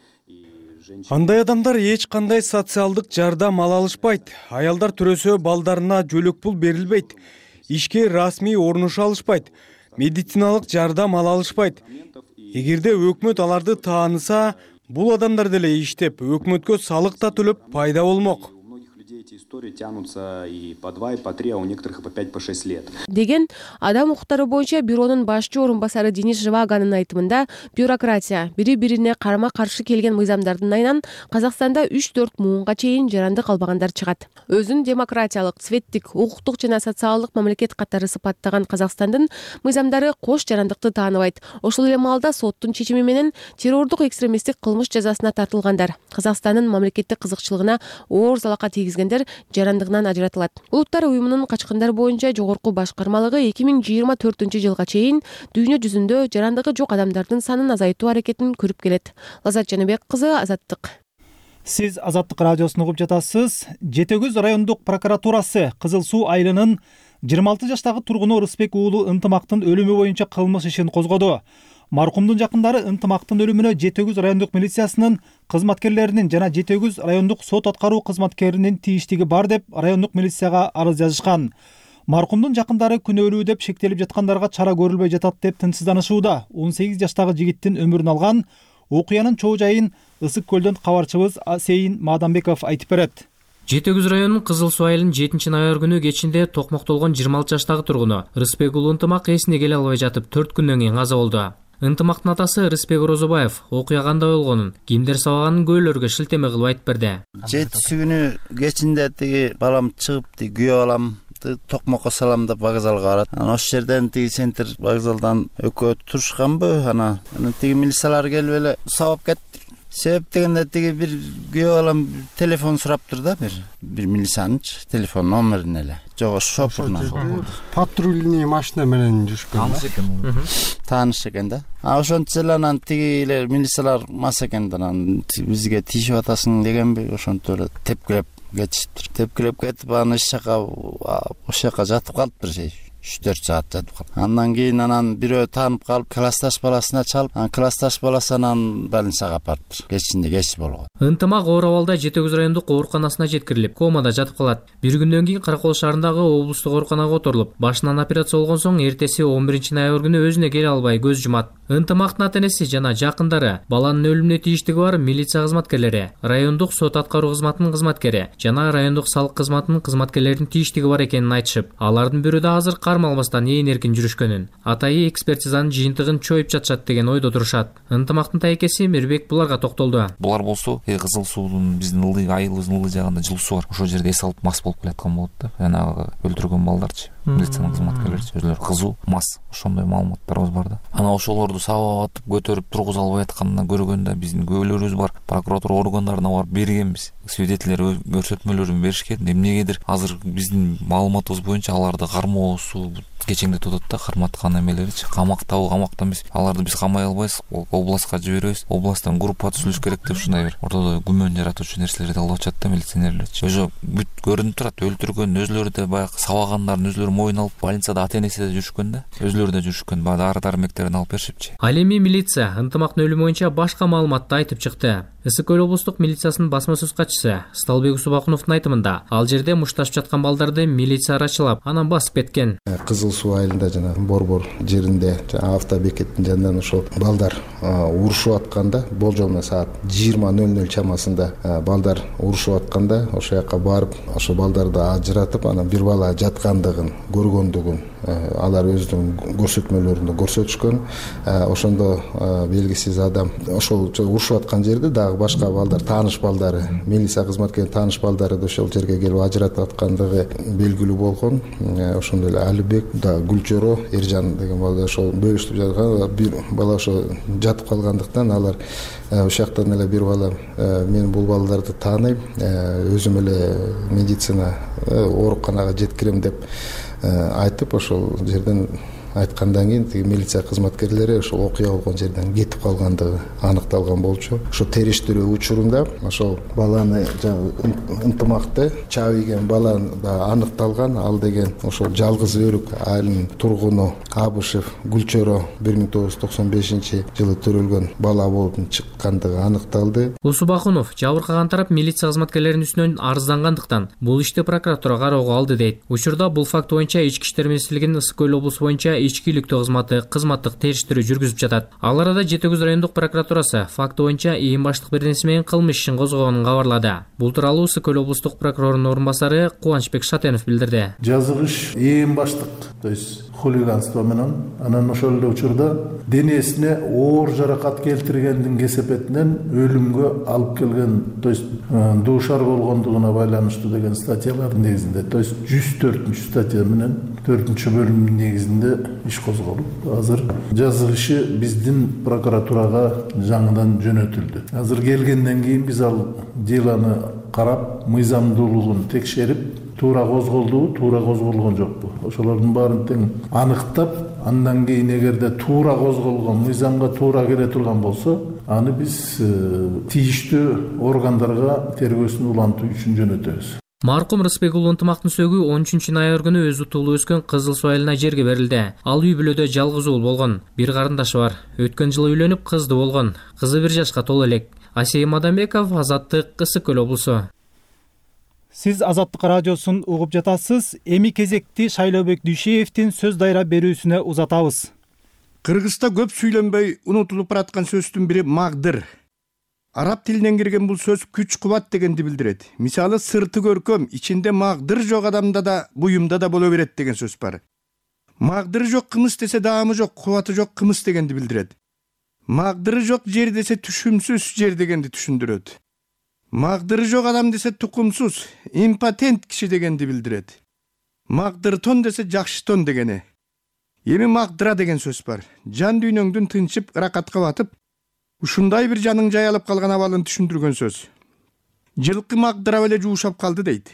Андай адамдар эч кандай социалдык жардам ала алышпайт. Аялдар төрөсө балдарына жөлөк пул берилбейт. Ишке расмий орнуша алышпайт. Медициналык жардам ала алышпайт. Эгерде өкмөт аларды тааныса, бул адамдар деле иштеп, өкмөткө салык да төлөп пайда болмок. Эти истории тянутся и по два, и по три, а у некоторых и по пять, по шесть лет. Деген адам укуктары боюнча бюронун башчы орун басары Денис Живаганын айтымында, бюрократия бири-бирине карама-каршы келген мыйзамдардын айынан Казакстанда үч-төрт муунга чейин жарандык албагандар чыгат. Өзүн демократиялык, цветтик, укуктук жана социалдык мамлекет катары сыпаттаган Казакстандын мыйзамдары кош жарандыкты тааныбайт. Ошол эле маалда соттун чечими менен террордук экстремисттик кылмыш жазасына тартылгандар Казакстандын мамлекеттик кызыкчылыгына оор залака тийгизгендер жарандыгынан ажыратылат. Улуттар уюмунун качкындар боюнча жогорку башкармалыгы эки миң жыйырма төртүнчү жылга чейин дүйнө жүзүндө жарандыгы жок адамдардын санын азайтуу аракетин көрүп келет. Лаззат Жаныбек кызы, Азаттык. Сиз Азаттык радиосун угуп жатасыз. Жети Өгүз райондук прокуратурасы Кызыл Суу айылынын жыйырма алты жаштагы тургуну Рысбек уулу Ынтымактын өлүмү боюнча кылмыш ишин козгоду. Маркумдун жакындары Ынтымактын өлүмүнө Жети Өгүз райондук милициясынын кызматкерлеринин жана Жети Өгүз райондук сот аткаруу кызматкеринин тийиштиги бар деп райондук милицияга арыз жазышкан. Маркумдун жакындары күнөөлүү деп шектелип жаткандарга чара көрүлбөй жатат деп тынчсызданышууда. он сегиз жаштагы жигиттин өмүрүн алган окуянын чоо жайын Ысык көлдөн кабарчыбыз Сейин Мадамбеков айтып берет. Жети Өгүз районунун Кызыл Суу айылынын жетинчи ноябрь күнү кечинде токмоктолгон жыйырма алты жаштагы тургуну Рысбек уулу Ынтымак эсине келе албай жатып төрт күндөн кийин каза болду. Ынтымактын атасы Рысбек Розобаев окуя кандай болгонун, кимдер сабаганын көөлөргө шилтеме кылып айтып берди. жетинчи күнү кечинде тиги балам чыгып тиги күйөө балам токмокко салам деп вокзалга барат. Анан ошол жерден тиги центр вокзалдан экөө турушканбы, анан тиги милициялар келип эле сабап кетти. Себеп дегенде тиги бир күйөө балам телефон сураптыр да, бир бир милициянын телефон номерин эле. Жок, шофурунан. Патрульный машина менен жүрүшкөн. Тааныш экен. Тааныш экен да. А ошончо эле анан тиги эле милициялар мас экен да, анан бизге тийишип атасың дегенби, ошонтип эле тепкилеп кетиштир. Тепкилеп кетип, анан иш жака ошол жака жатып калыптыр. үч төрт саат жатып калып. Андан кийин анан бирөө таанып калып, классташ баласына чалып, анан классташ баласы анан больницага апарыптыр. Кечинде кеч болгон. Ынтымак оор абалда Жети Өгүз райондук ооруканасына жеткирилип, комада жатып калат. Бир күндөн кийин Каракол шаарындагы облустук ооруканага которулуп, башынан операция болгон соң эртеси он биринчи ноябрь күнү өзүнө келе албай көз жумат. Ынтымактын ата-энеси жана жакындары, баланын өлүмүнө тийиштиги бар милиция кызматкерлери, райондук сот аткаруу кызматынын кызматкери жана райондук салык кызматынын кызматкерлеринин тийиштиги бар экенин айтышып, алардын бирөө да азыр кармалбастан ээн эркин жүрүшкөнүн, атайы экспертизанын жыйынтыгын чоюп жатышат деген ойдо турушат. Ынтымактын тайкеси Мирбек буларга токтолду. Булар болсо Кызыл Суунун биздин ылдый айылыбыздын ылдый жагында жылуусу бар. Ошол жерде эс алып мас болуп келаткан болот да. Жанагы өлтүргөн балдарчы, милициянын кызматкерлери өзүлөрү кызуу, мас. Ошондой маалыматтарыбыз бар да. Анан ошолорду сабап атып көтөрүп тургуза албай атканын көргөндө биздин күбөлөрүбүз бар. Прокуратура органдарына барып бергенбиз. Свидетелер көрсөтмөлөрүн беришкен. Эмнегедир азыр биздин маалыматыбыз боюнча аларды кармоосу кечеңдетип атат да, карматкан эмелеричи. Камактабы, камакта эмес. Аларды биз камай албайбыз, областка жиберебиз. Областтан группа түзүлүш керек деп ушундай бир ортодо күмөн жаратуучу нерселерди алып атышат да милиционерлерчи. Өзү бүт көрүнүп турат, өлтүргөн, өзүлөрү да баягы сабагандарын өзүлөрү мойнуна алып, больницада ата-энеси да жүрүшкөн да. Өзүлөрү да жүрүшкөн, баягы дары-дармектерин алып беришипчи. Ал эми милиция Ынтымактын өлүмү боюнча башка маалыматты айтып чыкты. Ысык көл облустук милициясынын басма сөз катчысы Сталбек Усубакуновдун айтымында, ал жерде мушташып жаткан балдарды милиция арачылап, анан басып кеткен. Кызыл Кызыл Суу айылында жана Борбор жеринде автобекеттин жанынан ошол балдар урушуп атканда, болжол менен саат жыйырма ноль ноль чамасында балдар урушуп атканда ошол жака барып, ошол балдарды ажыратып, анан бир бала жаткандыгын көргөндүгүн алар өзүнүн көрсөтмөлөрүндө көрсөтүшкөн. Ошондо белгисиз адам ошол урушуп аткан жерде дагы башка балдар, тааныш балдары, милиция кызматкеринин тааныш балдары да ошол жерге келип ажыратып аткандыгы белгилүү болгон. Ошондой эле Алибек да Гүлчөрө Эржан деген балдар ошол бөлүшүп жаткан, бир бала ошо жатып калгандыктан алар ошол жактан эле бир бала мен бул балдарды тааныйм, өзүм эле медицина ооруканага жеткирем деп айтып, ошол жерден айткандан кийин тиги милиция кызматкерлери ошол окуя болгон жерден кетип калгандыгы аныкталган болчу. Ошо териштирүү учурунда ошол баланы ынтымакты чабийген бала да аныкталган. Ал деген ошол жалгыз өрүк айылынын тургуну Абышев Гүлчөрө бир миң тогуз жүз токсон бешинчи жылы төрөлгөн бала болуп чыккандыгы аныкталды. Усубакунов жабыркаган тарап милиция кызматкерлеринин үстүнөн арыздангандыктан бул ишти прокуратура кароого алды дейт. Учурда бул факт боюнча Ички иштер министрлигинин Ысык көл облусу боюнча ички иликтөө кызматы кызматтык териштирүү жүргүзүп жатат. Ал арада Жети Көз райондук прокуратурасы факт боюнча ийин баштык беренеси менен кылмыш ишин козгогонун кабарлады. Бул тууралуу Ысык көл облустук прокурорунун орун басары Кубанычбек Шатенов билдирди. Жазыгыш ийин баштык, то есть хулиганство менен, анан ошол эле учурда денесине оор жаракат келтиргендин кесепетинен өлүмгө алып келген, то есть дуушар болгондугуна байланыштуу деген статьялардын негизинде, то есть жүз төртүнчү статья менен төртүнчү бөлүмдүн негизинде иш козголуп, азыр жазыгышы биздин прокуратурага жаңыдан жөнөтүлдү. Азыр келгенден кийин биз ал делону карап, мыйзамдуулугун текшерип, туура козголдубу, туура козголгон жокпу, ошолордун баарын тең аныктап, андан кийин эгерде туура козголгон, мыйзамга туура келе турган болсо, аны биз тийиштүү органдарга тергөөсүн улантуу үчүн жөнөтөбүз. Маркум Рысбек уулу Ынтымактын сөгү он үчүнчү ноябрь күнү өзү туулуп өскөн Кызыл Суу айылына жерге берилди. Ал үй бүлөдө жалгыз уул болгон. Бир карындашы бар. Өткөн жылы үйлөнүп, кызды болгон. Кызы бир жашка толо элек. Асей Мадамбеков, Азаттык, Ысык көл облусу. Сиз Азаттык радиосун угуп жатасыз. Эми кезекти Шайлообек Дүйшеевдин сөз дайра берүүсүнө узатабыз. Кыргызда көп сүйлөнбөй унутулуп бараткан сөздүн бири магдыр. Араб тилинен кирген бул сөз күч кубат дегенди билдирет. Мисалы сырты көркөм, ичинде магдыр жок адамда да, буюмда да боло берет деген сөз бар. Магдыры жок кымыз десе даамы жок, кубаты жок кымыз дегенди билдирет. Магдыры жок жер десе түшүмсүз жер дегенди түшүндүрөт. Магдыры жок адам десе тукумсуз, импотент киши дегенди билдирет. Магдыр тон десе жакшы тон дегени. Эми магдыра деген сөз бар. Жан дүйнөңдүн тынчып, ыракатка батып, ушундай бир жаның жаялып калган абалын түшүндүргөн сөз. Жылкы магдырап эле жуушап калды дейт.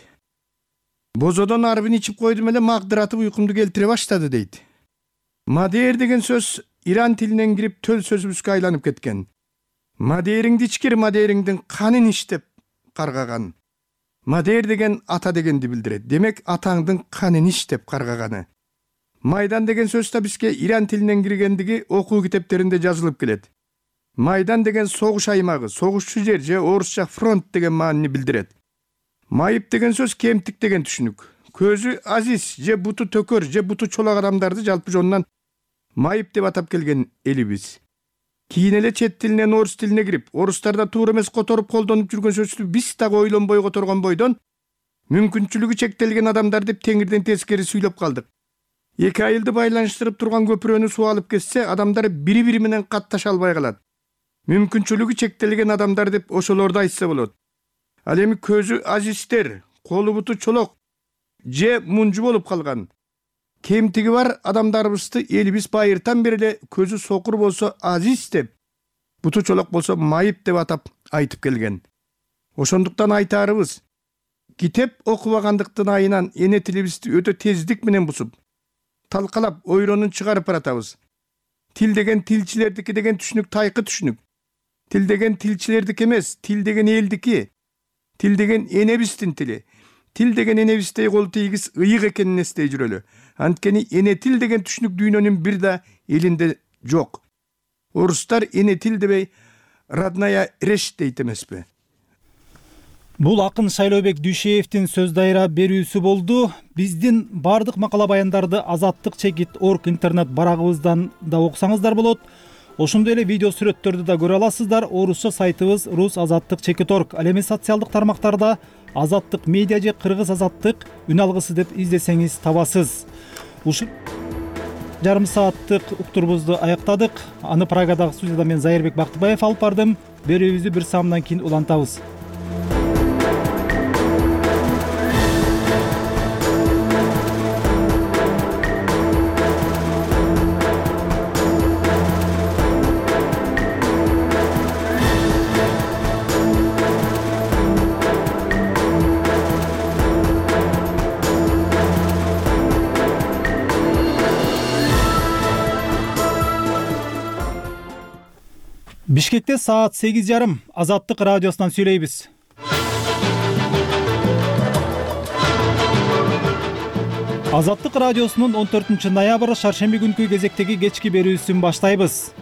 Бозодон арбын ичип койдум эле магдыратып уйкумду келтире баштады дейт. Мадер деген сөз Иран тилинен кирип төл сөзүбүзгө айланып кеткен. Мадериңди ичкир, мадериңдин канын иштеп каргаган. Мадер деген ата дегенди билдирет. Демек атаңдын канын иштеп каргаганы. Майдан деген сөз да бизге Иран тилинен киргендиги окуу китептеринде жазылып келет. Майдан деген согуш аймагы, согушчу жер же орусча фронт деген маанини билдирет. Майып деген сөз кемтик деген түшүнүк. Көзү азиз же буту төкөр же буту чолак адамдарды жалпы жонунан майып деп атап келген элибиз. Кийин эле чет тилинен орус тилине кирип, орустарда туура эмес которуп колдонуп жүргөн сөздү биз дагы ойлонбой которгон бойдон мүмкүнчүлүгү чектелген адамдар деп теңирден тескери сүйлөп калдык. Эки айылды байланыштырып турган көпүрөнү суу алып кетсе, адамдар бири-бири менен катташа албай калат. Мүмкүнчүлүгү чектелген адамдар деп ошолорду айтса болот. Ал эми көзү азиздер, колу буту чолок же мунжу болуп калган. Кемтиги бар адамдарыбызды элибиз байыртан бери эле көзү сокур болсо азиз деп, буту чолок болсо майып деп атап айтып келген. Ошондуктан айтаарыбыз, китеп окубагандыктын айынан эне тилибизди өтө тездик менен бузуп, талкалап, ойронун чыгарып баратабыз. Тил деген тилчилердики деген түшүнүк тайкы түшүнүк. Тил деген тилчилердики эмес, тил деген элдики. Тил деген энебиздин тили. Тил деген энебиздей кол тийгиз ыйык экенин эстей жүрөлү. Анткени эне тил деген түшүнүк дүйнөнүн бир да элинде жок. Орустар эне тил дебей родная речь дейт эмеспи. Бул акын Шайлообек Дүйшеевдин сөз дайра берүүсү болду. Биздин бардык макала баяндарды азаттык чекит орг интернет барагыбыздан да окусаңыздар болот. Ошондой эле видео сүрөттөрдү да көрө аласыздар. Орусча сайтыбыз рус азаттык чекит орг. Ал эми социалдык тармактарда азаттык медиа же кыргыз азаттык үн алгысы деп издесеңиз табасыз. Ушул жарым сааттык уктурубузду аяктадык. Аны Прагадагы студияда мен Зайырбек Бактыбаев алып бардым. Берүүбүздү бир саамдан кийин улантабыз. Бишкекте саат сегиз жарым. Азаттык радиосунан сүйлөйбүз. Азаттык радиосунун он төртүнчү ноябрь шаршемби күнкү кезектеги кечки берүүсүн баштайбыз.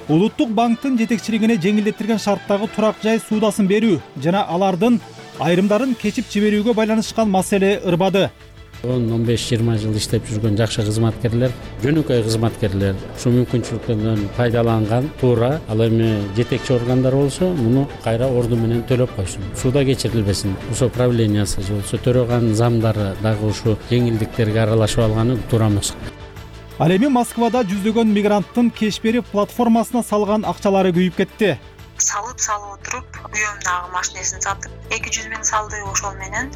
Улуттук банктын жетекчилигине жеңилдетилген шарттагы турак жай суудасын берүү жана алардын айрымдарын кечип жиберүүгө байланышкан маселе ырбады. он он беш жыйырма жыл иштеп жүргөн жакшы кызматкерлер, жөнөкөй кызматкерлер ушул мүмкүнчүлүктөрдөн пайдаланган туура ал эми жетекчи органдар болсо муну кайра орду менен төлөп койсун. Суда кечирилбесин. Ошо правлениясы же болсо төрөган замдары дагы ушу жеңилдиктерге аралашып алганы туура эмес. Ал эми Москвада жүздөгөн мигранттын кеш берип платформасына салган акчалары күйүп кетти. Салып салып отуруп, уюмдагы машинесин сатып, эки жүз миң салды, ошол менен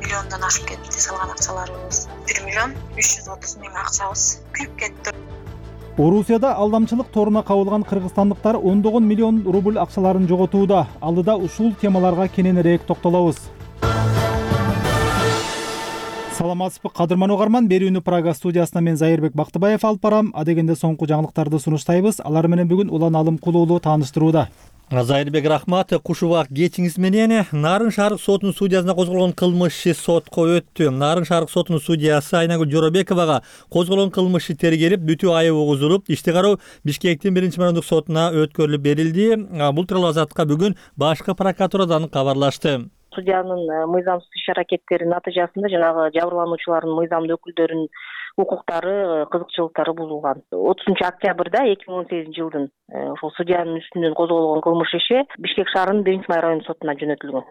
миллиондон ашып кетти салган акчаларыбыз. бир миллион үч жүз отуз миң акчабыз күйүп кетти. Орусияда алдамчылык торуна кабылган кыргызстандыктар ондогон миллион рубль акчаларын жоготууда. Алдыда ушул темаларга кененирээк токтолобуз. Саламатсызбы кадырман угарман, берүүнү Прага студиясынан мен Зайырбек Бактыбаев алып барам. Адегенде соңку жаңылыктарды сунуштайбыз. Алар менен бүгүн Улан Алымкул уулу тааныштырууда. Зайырбек рахмат. Куш убак кечиңиз менен Нарын шаарык сотунун судьясына козголгон кылмыш иши сотко өттү. Нарын шаарык сотунун судьясы Айнагүл Жоробековага козголгон кылмыш иши тергелип, бүтүү айып угузулуп, ишти кароо Бишкектин биринчи майондук сотуна өткөрүлүп берилди. Бул тууралуу Азаттыкка бүгүн башкы прокуратурадан кабарлашты. Судьянын мыйзамсыз иш-аракеттеринин натыйжасында жанагы жабырлануучулардын мыйзамдуу өкүлдөрүнүн укуктары, кызыкчылыктары бузулган. отузунчу октябрда эки миң он сегизинчи жылдын ошол судьянын үстүнөн козголгон кылмыш иши Бишкек шаарынын биринчи май райондук сотуна жөнөтүлгөн.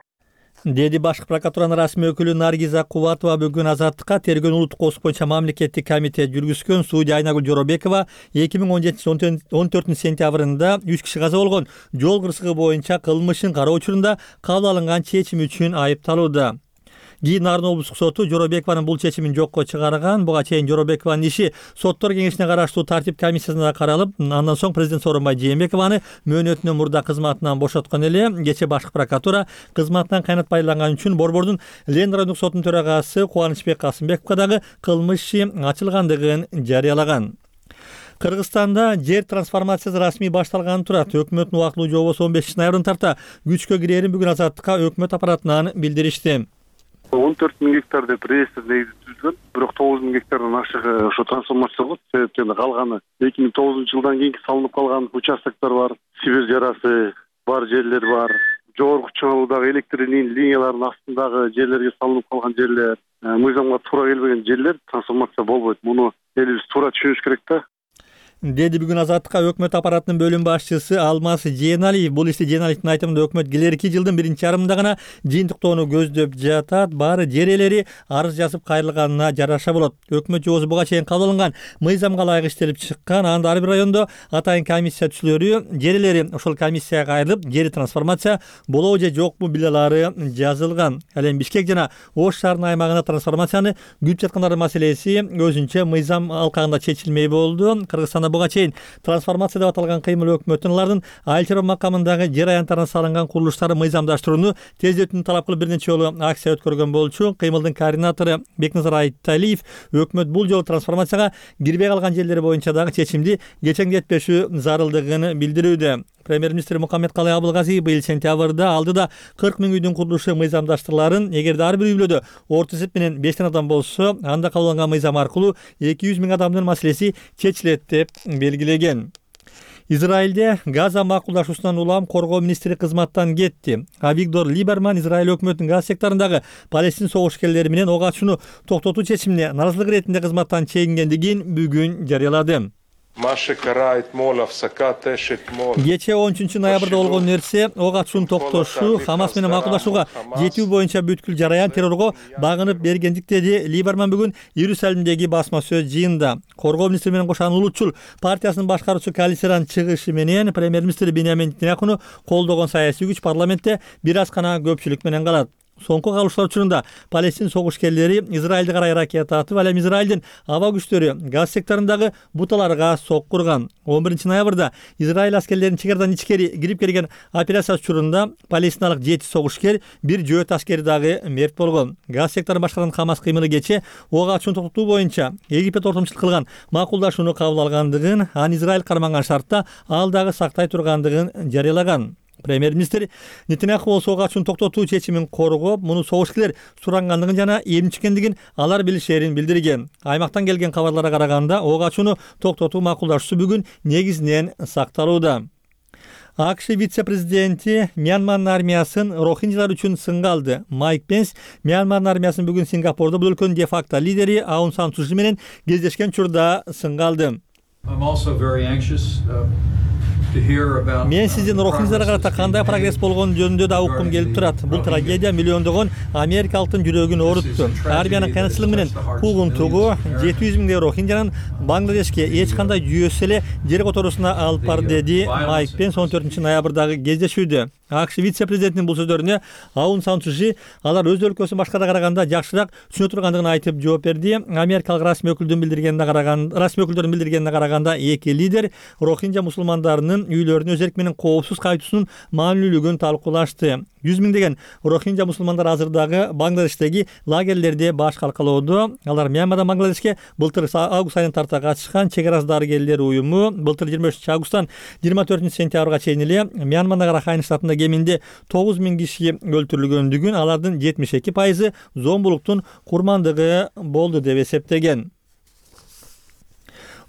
Деди башкы прокуратуранын расмий өкүлү Наргиза Кубатова бүгүн Азаттыкка тергөө улуттук кодекс боюнча мамлекеттик комитет жүргүзгөн судья Айнагүл Жоробекова эки миң он жетинчи жылдын он төртүнчү сентябрында үч киши каза болгон жол кырсыгы боюнча кылмышын кароо учурунда кабыл алынган чечим үчүн айыпталууда. Кийин Нарын облустук соту Жоробекованын бул чечимин жокко чыгарган. Буга чейин Жоробекованын иши соттор кеңешине караштуу тартип комиссиясында каралып, андан соң президент Сооронбай Жээнбекованы мөөнөтүнөн мурда кызматынан бошоткон эле. Кечээ башкы прокуратура кызматынан кайнатпайланган үчүн Борбордун Лен райондук сотунун төрагасы Кубанычбек Касымбековго дагы кылмыш иши ачылгандыгын жарыялаган. Кыргызстанда жер трансформациясы расмий башталганы турат. Өкмөттүн убактылуу жобосу он бешинчи ноябрдан тарта күчкө кирерин бүгүн Азаттыкка өкмөт аппаратынан билдиришти. он төрт миң гектар деп реестр негизи түзүлгөн, бирок тогуз миң гектардан ашыгы ошо трансформация болот. Себептен калганы эки миң тогузунчу жылдан кийинки салынып калган участоктор бар, Сибирь жарасы бар жерлер бар, жогорку чыңалуудагы электр линияларынын астындагы жерлерге салынып калган жерлер, мыйзамга туура келбеген жерлер трансформация болбойт. Муну элибиз туура түшүнүш керек да. Деди бүгүн Азаттыкка өкмөт аппаратынын бөлүм башчысы Алмаз Жээналиев. Бул ишти Жээналиевдин айтымында өкмөт келерки жылдын биринчи жарымында гана жыйынтыктоону көздөп жатат. Баары жер ээлери арыз жазып кайрылганына жараша болот. Өкмөт жобосу буга чейин кабыл алынган мыйзамга ылайык иштелип чыккан. Анда ар бир райондо атайын комиссия түзүлөрү, жер ээлери ошол комиссияга кайрылып, жери трансформация болобу же жокпу билалары жазылган. Ал эми Бишкек жана Ош шаарынын аймагына трансформацияны күтүп жаткандардын маселеси өзүнчө мыйзам алкагында чечилмей болду. Кыргызстанда буга чейин трансформация деп аталган кыймыл өкмөттүн алардын айыл чарба макамындагы жер аянттарына салынган курулуштары мыйзамдаштырууну тездетүүнү талап кылып бир нече жолу акция өткөргөн болчу. Кыймылдын координатору Бекназар Айталиев өкмөт бул жолу трансформацияга кирбей калган жерлер боюнча дагы чечимди кечеңдетпеши зарылдыгын билдирүүдө. Премьер-министр Мукаммедкалый Абылгазиев быйыл сентябрда алдыда кырк миң үйдүн курулушу мыйзамдаштырыларын, эгерде ар бир үйлөдө орто эсеп менен бештен адам болсо, анда кабыл алынган мыйзам аркылуу эки жүз миң адамдын маселеси чечилет деп белгилеген. Израилде Газа макулдашуусунан улам коргоо министри кызматтан кетти. Авигдор Либерман Израиль өкмөтүнүн Газа секторундагы Палестин согушкерлери менен ок ачууну токтотуу чечимине наразылык иретинде кызматтан чегингендигин бүгүн жарыялады. Кечээ он үчүнчү ноябрда болгон нерсе ок ачууну токтошу, Хамас менен макулдашууга жетүү боюнча бүткүл жараян террорго багынып бергендик, деди Либерман бүгүн Иерусалимдеги басма сөз жыйынында. Коргоо министри менен кошан Улутчул партиясынын башкаруучу коалициянын чыгышы менен премьер-министр Биньямин Нетаньяхуну колдогон саясий күч парламентте бир аз гана көпчүлүк менен калат. Соңку калыштар учурунда Палестин согушкерлери Израилди карай ракета атып, ал эми Израилдин аба күчтөрү Газа секторундагы буталарга соккурган. он биринчи ноябрда Израиль аскерлеринин чегарадан ичкери кирип келген операция учурунда палестиналык жети согушкер, бир жөөт аскери дагы мерт болгон. Газа секторун башкарган Хамас кыймылы кечээ ок ачууну токтотуу боюнча Египет ортомчулук кылган макулдашууну кабыл алгандыгын, аны Израиль карманган шартта ал дагы сактай тургандыгын жарыялаган. Премьер-министр Нетаньяху болсо ок ачууну токтотуу чечимин коргоп, муну согушкерлер сурангандыгын жана эмчиккендигин алар билишерин билдирген. Аймактан келген кабарларга караганда, ок ачууну токтотуу макулдашуусу бүгүн негизинен сакталууда. АКШ вице-президенти Мьянманын армиясын рохинджалар үчүн сынга алды. Майк Пенс Мьянманын армиясын бүгүн Сингапурда бул өлкөнүн де-факто лидери Аун Сан Су Чжи менен кездешкен учурда сынга алды. Мен сиздин рохинджаларга карата кандай прогресс болгону жөнүндө да уккум келип турат. Бул трагедия миллиондогон америкалыктын жүрөгүн оорутту. Армиянын кыйынчылыгы менен куугунтугу жети жүз миңдей рохинджанын Бангладешке эч кандай жүйөсү эле жер которуусуна алып барды, деди Майк Пенс он төртүнчү ноябрдагы кездешүүдө. АКШ вице-президентинин бул сөздөрүнө Аун Сан Су Чжи алар өз өлкөсүн башкага караганда жакшыраак түшүнө тургандыгын айтып жооп берди. Америкалык расмий өкүлдөрдүн билдиргенине караганда, расмий өкүлдөрдүн билдиргенине караганда эки лидер рохинджа мусулмандарынын үйлөрүнө өз эрки менен коопсуз кайтуусунун маанилүүлүгүн талкуулашты. жүз миңдеген рохинджа мусулмандар азырдагы Бангладештеги лагерлерде баш калкалоодо. Алар Мьянмадан Бангладешке былтыр август айынан тарта катышкан чек арасы дарыгерлер уюму былтыр жыйырма үчүнчү августтан жыйырма төртүнчү сентябрга чейин эле Мьянмадагы Рахайн штатында кеминде тогуз миң киши өлтүрүлгөндүгүн, алардын жетимиш эки пайызы зомбулуктун курмандыгы болду деп эсептеген.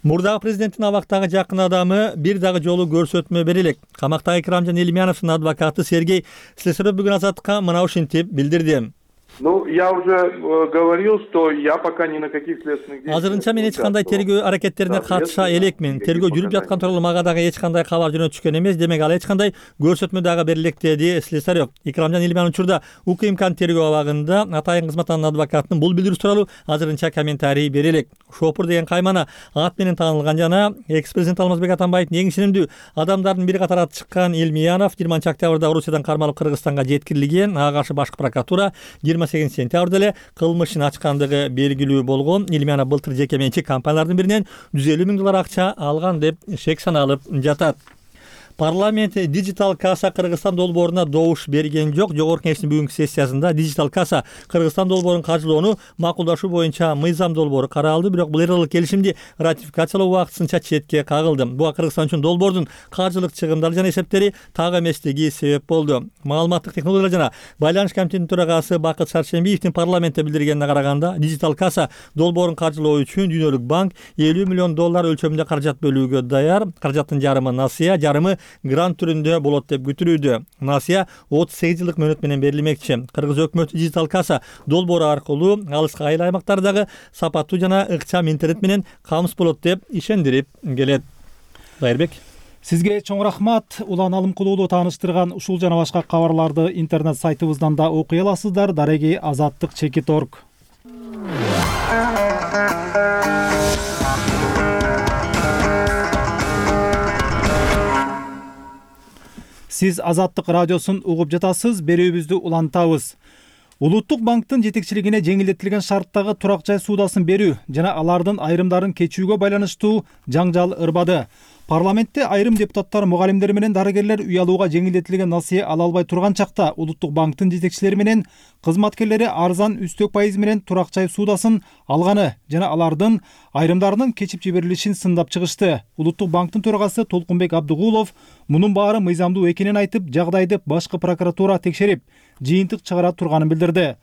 Мурдагы президенттин абактагы жакын адамы бир дагы жолу көрсөтмө бере элек. Камактагы Икрамжан Элимяновдун адвокаты Сергей Слесарев бүгүн Азаттыкка мына ушинтип билдирди. Ну, я уже говорил, что я пока ни на каких следственных действиях. Азырынча мен эч кандай тергөө аракеттерине катыша элекмин. Тергөө жүрүп жаткан тууралуу мага дагы эч кандай кабар жөнөтүшкөн эмес, демек ал эч кандай көрсөтмө дагы бере элек, деди Слесарев. Икрамжан Элимянов учурда УКМКнын тергөө абагында атайын кызматтаган адвокаттын бул билдирүүсү тууралуу азырынча комментарий бере элек. Шопур деген каймана ат менен таанылган жана экс-президент Алмазбек Атамбаевдин эң ишенимдүү адамдардын бири катары аты чыккан Элмиянов жыйырманчы октябрда Орусиядан кармалып Кыргызстанга жеткирилген. Ага каршы башкы прокуратура жыйырма сегизинчи сентябрда эле кылмышын ачкандыгы белгилүү болгон. Элмиянов былтыр жеке менчик компаниялардын биринен жүз элүү миң доллар акча алган деп шек саналып жатат. Парламент Digital Kasa Кыргызстан долбооруна добуш берген жок. Жогорку кеңештин бүгүнкү сессиясында Digital Kasa Кыргызстан долбоорун каржылоону макулдашуу боюнча мыйзам долбоору каралды, бирок бул эралык келишимди ратификациялоо убактысынча четке кагылды. Буга Кыргызстан үчүн долбоордун каржылык чыгымдары жана эсептери так эместиги себеп болду. Маалыматтык технологиялар жана байланыш комитетинин төрагасы Бакыт Шаршембиевдин парламентте билдиргенине караганда, Digital Kasa долбоорун каржылоо үчүн Дүйнөлүк банк элүү миллион доллар өлчөмүндө каражат бөлүүгө даяр. Каражаттын жарымы насыя, жарымы грант түрүндө болот деп күтүлүүдө. Насыя отуз сегиз жылдык мөөнөт менен берилмекчи. Кыргыз өкмөтү Digital Kasa долбоору аркылуу алыскы айыл аймактардагы сапаттуу жана ыкчам интернет менен камсыз болот деп ишендирип келет. Кайырбек, сизге чоң рахмат. Улан Алымкулуулу тааныштырган ушул жана башка кабарларды интернет сайтыбыздан да окуй аласыздар. Дареги азаттык чекит точка орг. Сиз Азаттык радиосун угуп жатасыз. Берүүбүздү улантабыз. Улуттук банктын жетекчилигине жеңилдетилген шарттагы турак жай суудасын берүү жана алардын айрымдарын кечүүгө байланыштуу жаңжал ырбады. Парламентте айрым депутаттар, мугалимдер менен дарыгерлер үй алууга жеңилдетилген насыя ала албай турган чакта Улуттук банктын жетекчилери менен кызматкерлери арзан үстөк пайыз менен турак жай суудасын алганы жана алардын айрымдарынын кечип жиберилишин сындап чыгышты. Улуттук банктын төрагасы Толкунбек Абдыгулов мунун баары мыйзамдуу экенин айтып, жагдайды башкы прокуратура текшерип, жыйынтык чыгара турганын билдирди.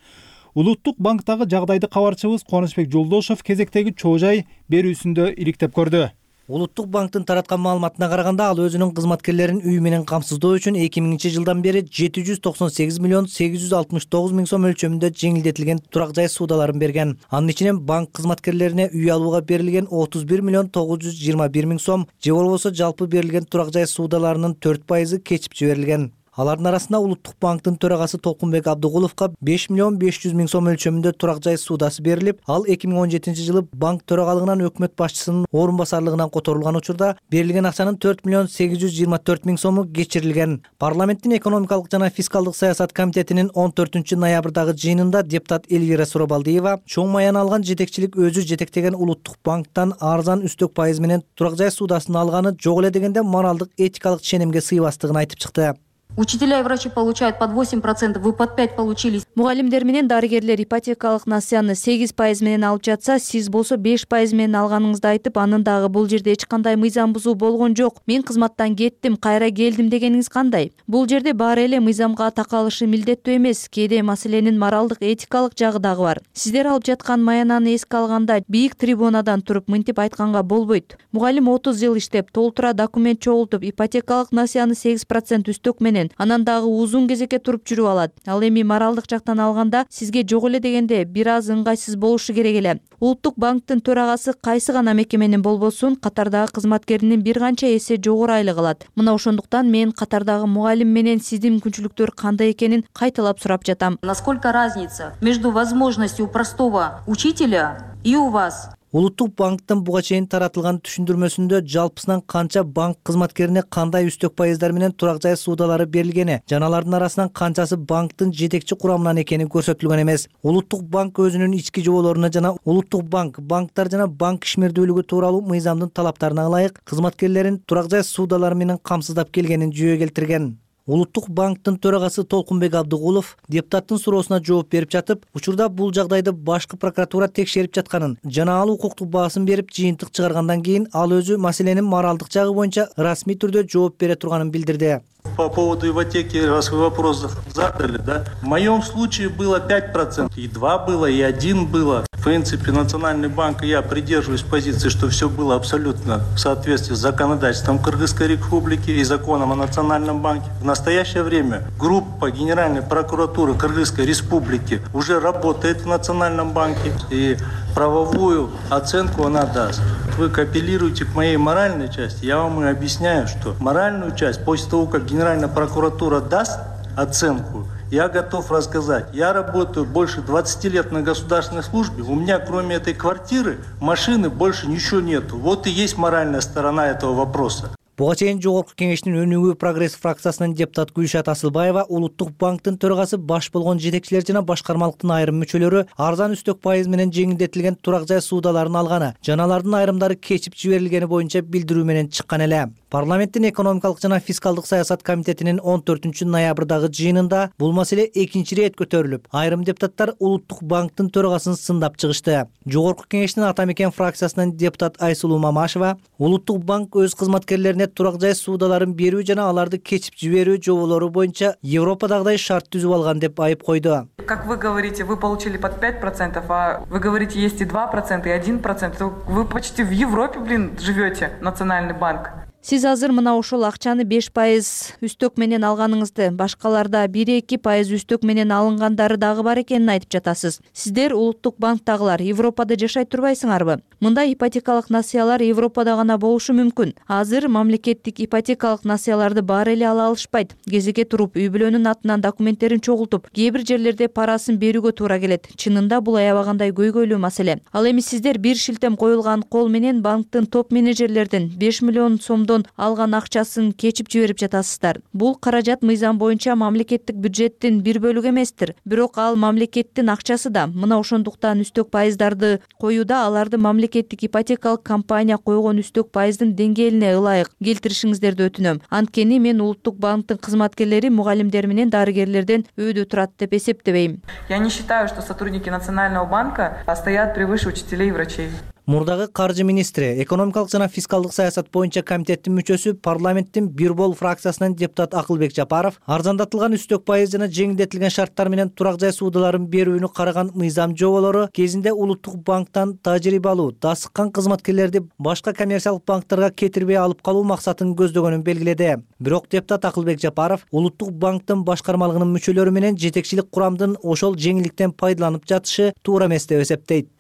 Улуттук банктагы жагдайды кабарчыбыз Кубанычбек Жолдошов кезектеги чоо жай берүүсүндө иликтеп көрдү. Улуттук банктын тараткан маалыматына караганда, ал өзүнүн кызматкерлерин үй менен камсыздоо үчүн эки миңинчи жылдан бери жети жүз токсон сегиз миллион сегиз жүз алтымыш тогуз миң сом өлчөмүндө жеңилдетилген турак жай суудаларын берген. Анын ичинен банк кызматкерлерине үй алууга берилген отуз бир миллион тогуз жүз жыйырма бир миң сом же болбосо жалпы берилген турак жай суудаларынын төрт пайызы кечип жиберилген. Алардын арасында Улуттук банктын төрагасы Толкунбек Абдыгуловго беш миллион беш жүз миң сом өлчөмүндө турак жай суудасы берилип, ал эки миң он жетинчи жылы банк төрагалыгынан өкмөт башчысынын орун басарлыгынан которулган учурда берилген акчанын төрт миллион сегиз жүз жыйырма төрт миң сому кечирилген. Парламенттин экономикалык жана фискалдык саясат комитетинин он төртүнчү ноябрдагы жыйынында депутат Эльвира Суробалдиева чоң маян алган жетекчилик өзү жетектеген Улуттук банктан арзан үстөк пайыз менен турак жай суудасын алганы жок эле дегенде моралдык этикалык ченемге сыйбастыгын айтып чыкты. Учителя и врачи получают под восемь процентов, вы под пять получили. Мугалимдер менен дарыгерлер ипотекалык насыяны сегиз пайыз менен алып жатса, сиз болсо беш пайыз менен алганыңызды айтып, анын дагы бул жерде эч кандай мыйзам бузуу болгон жок. Мен кызматтан кеттим, кайра келдим дегениңиз кандай? Бул жерде баары эле мыйзамга такалышы милдеттүү эмес. Кээде маселенин моралдык этикалык жагы дагы бар. Сиздер алып жаткан маянаны эске алганда бийик трибунадан туруп мынтип айтканга болбойт. Мугалим отуз жыл иштеп, толтура документ чогултуп, ипотекалык насыяны сегиз процент үстөк менен анан дагы узун кезекке туруп жүрүп алат. Ал эми моралдык жактан алганда сизге жок эле дегенде бир аз ыңгайсыз болушу керек эле. Улуттук банктын төрагасы кайсы гана мекеменин болбосун катардагы кызматкеринин бир канча эсе жогору айлык алат. Мына ошондуктан мен катардагы мугалим менен сиздин мүмкүнчүлүктөр кандай экенин кайталап сурап жатам. Насколько разница между возможностью у простого учителя и у вас? Улуттук банктын буга чейин таратылган түшүндүрмөсүндө жалпысынан канча банк кызматкерине кандай үстөк пайыздар менен турак жай суудалары берилгени жана алардын арасынан канчасы банктын жетекчи курамынан экени көрсөтүлгөн эмес. Улуттук банк өзүнүн ички жоболоруна жана Улуттук банк, банктар жана банк ишмердүүлүгү тууралуу мыйзамдын талаптарына ылайык кызматкерлерин турак жай суудалары менен камсыздап келгенин жүйө келтирген. Улуттук банктын төрагасы Толкунбек Абдыгулов депутаттын суроосуна жооп берип жатып, учурда бул жагдайды башкы прокуратура текшерип жатканын жана ал укуктук баасын берип жыйынтык чыгаргандан кийин ал өзү маселенин моралдык жагы боюнча расмий түрдө жооп бере турганын билдирди. По поводу ипотеки, раз вы вопрос задали, да, в моем случае было пять процентов, и два было, и один было. В принципе, Национальный банк и я придерживаюсь позиции, что все было абсолютно в соответствии с законодательством Кыргызской Республики и законом о Национальном банке. В настоящее время группа Генеральной прокуратуры Кыргызской Республики уже работает в Национальном банке, и правовую оценку она даст. Вы апеллируете к моей моральной части, я вам и объясняю, что моральную часть, после того, как Генеральная прокуратура даст оценку, я готов рассказать. Я работаю больше двадцати лет на государственной службе. У меня, кроме этой квартиры, машины больше ничего нету. Вот и есть моральная сторона этого вопроса. Буга чейин жогорку кеңештин өнүгүү прогресс фракциясынын депутат Гүлшат Асылбаева Улуттук банктын төрагасы баш болгон жетекчилер жана башкармалыктын айрым мүчөлөрү арзан үстөк пайыз менен жеңилдетилген турак жай суудаларын алганы жана алардын айрымдары кечип жиберилгени боюнча билдирүү менен чыккан эле. Парламенттин экономикалык жана фискалдык саясат комитетинин он төртүнчү ноябрдагы жыйынында бул маселе экинчи ирет көтөрүлүп, айрым депутаттар Улуттук банктын төрагасын сындап чыгышты. Жогорку кеңештин Ата Мекен фракциясынын депутат Айсулуу Мамашева Улуттук банк өз кызматкерлерине турак жай суудаларын берүү жана аларды кечип жиберүү жоболору боюнча Европадагыдай шарт түзүп алган деп айып койду. Как вы говорите, вы получили под пять процентов, а вы говорите, есть и два процента, и один процент. Вы почти в Европе, блин, живете, Национальный банк. Сиз азыр мына ошол акчаны беш пайыз үстөк менен алганыңызды, башкаларда бир эки пайыз үстөк менен алынгандары дагы бар экенин айтып жатасыз. Сиздер Улуттук банктагылар Европада жашай турбайсыңарбы? Мында ипотекалык насыялар Европада гана болушу мүмкүн. Азыр мамлекеттик ипотекалык насыяларды баары эле ала алышпайт. Кезекке туруп, үй бүлөнүн атынан документтерин чогултуп, кээ бир жерлерде парасын берүүгө туура келет. Чынында бул аябагандай көйгөйлүү маселе. Ал эми сиздер бир шилтем коюлган кол менен банктын топ менеджерлердин беш миллион сомдон алган акчасын кечип жиберип жатасыздар. Бул каражат мыйзам боюнча мамлекеттик бюджеттин бир бөлүгү эместир. Бирок ал мамлекеттин акчасы да. Мына ошондуктан үстөк пайыздарды коюуда аларды мамлекеттик ипотекалык компания койгон үстөк пайыздын деңгээлине ылайык келтиришиңиздерди өтүнөм. Анткени мен Улуттук банктын кызматкерлери мугалимдер менен дарыгерлерден өйдө турат деп эсептебейм. Я не считаю, что сотрудники Национального банка стоят превыше учителей и врачей. Мурдагы каржы министри, экономикалык жана фискалдык саясат боюнча комитеттин мүчөсү, парламенттин бир бол фракциясынан депутат Акылбек Жапаров арзандатылган үстөк пайыз жана жеңилдетилген шарттар менен турак жай суудаларын берүүнү караган мыйзам жоболору кезинде улуттук банктан тажрыйба алуу, дасыккан кызматкерлерди башка коммерциялык банктарга кетирбей алып калуу максатын көздөгөнүн белгиледи. Бирок депутат Акылбек Жапаров улуттук банктын башкармалыгынын мүчөлөрү менен жетекчилик курамдын ошол жеңилдиктен пайдаланып жатышы туура эмес деп эсептейт.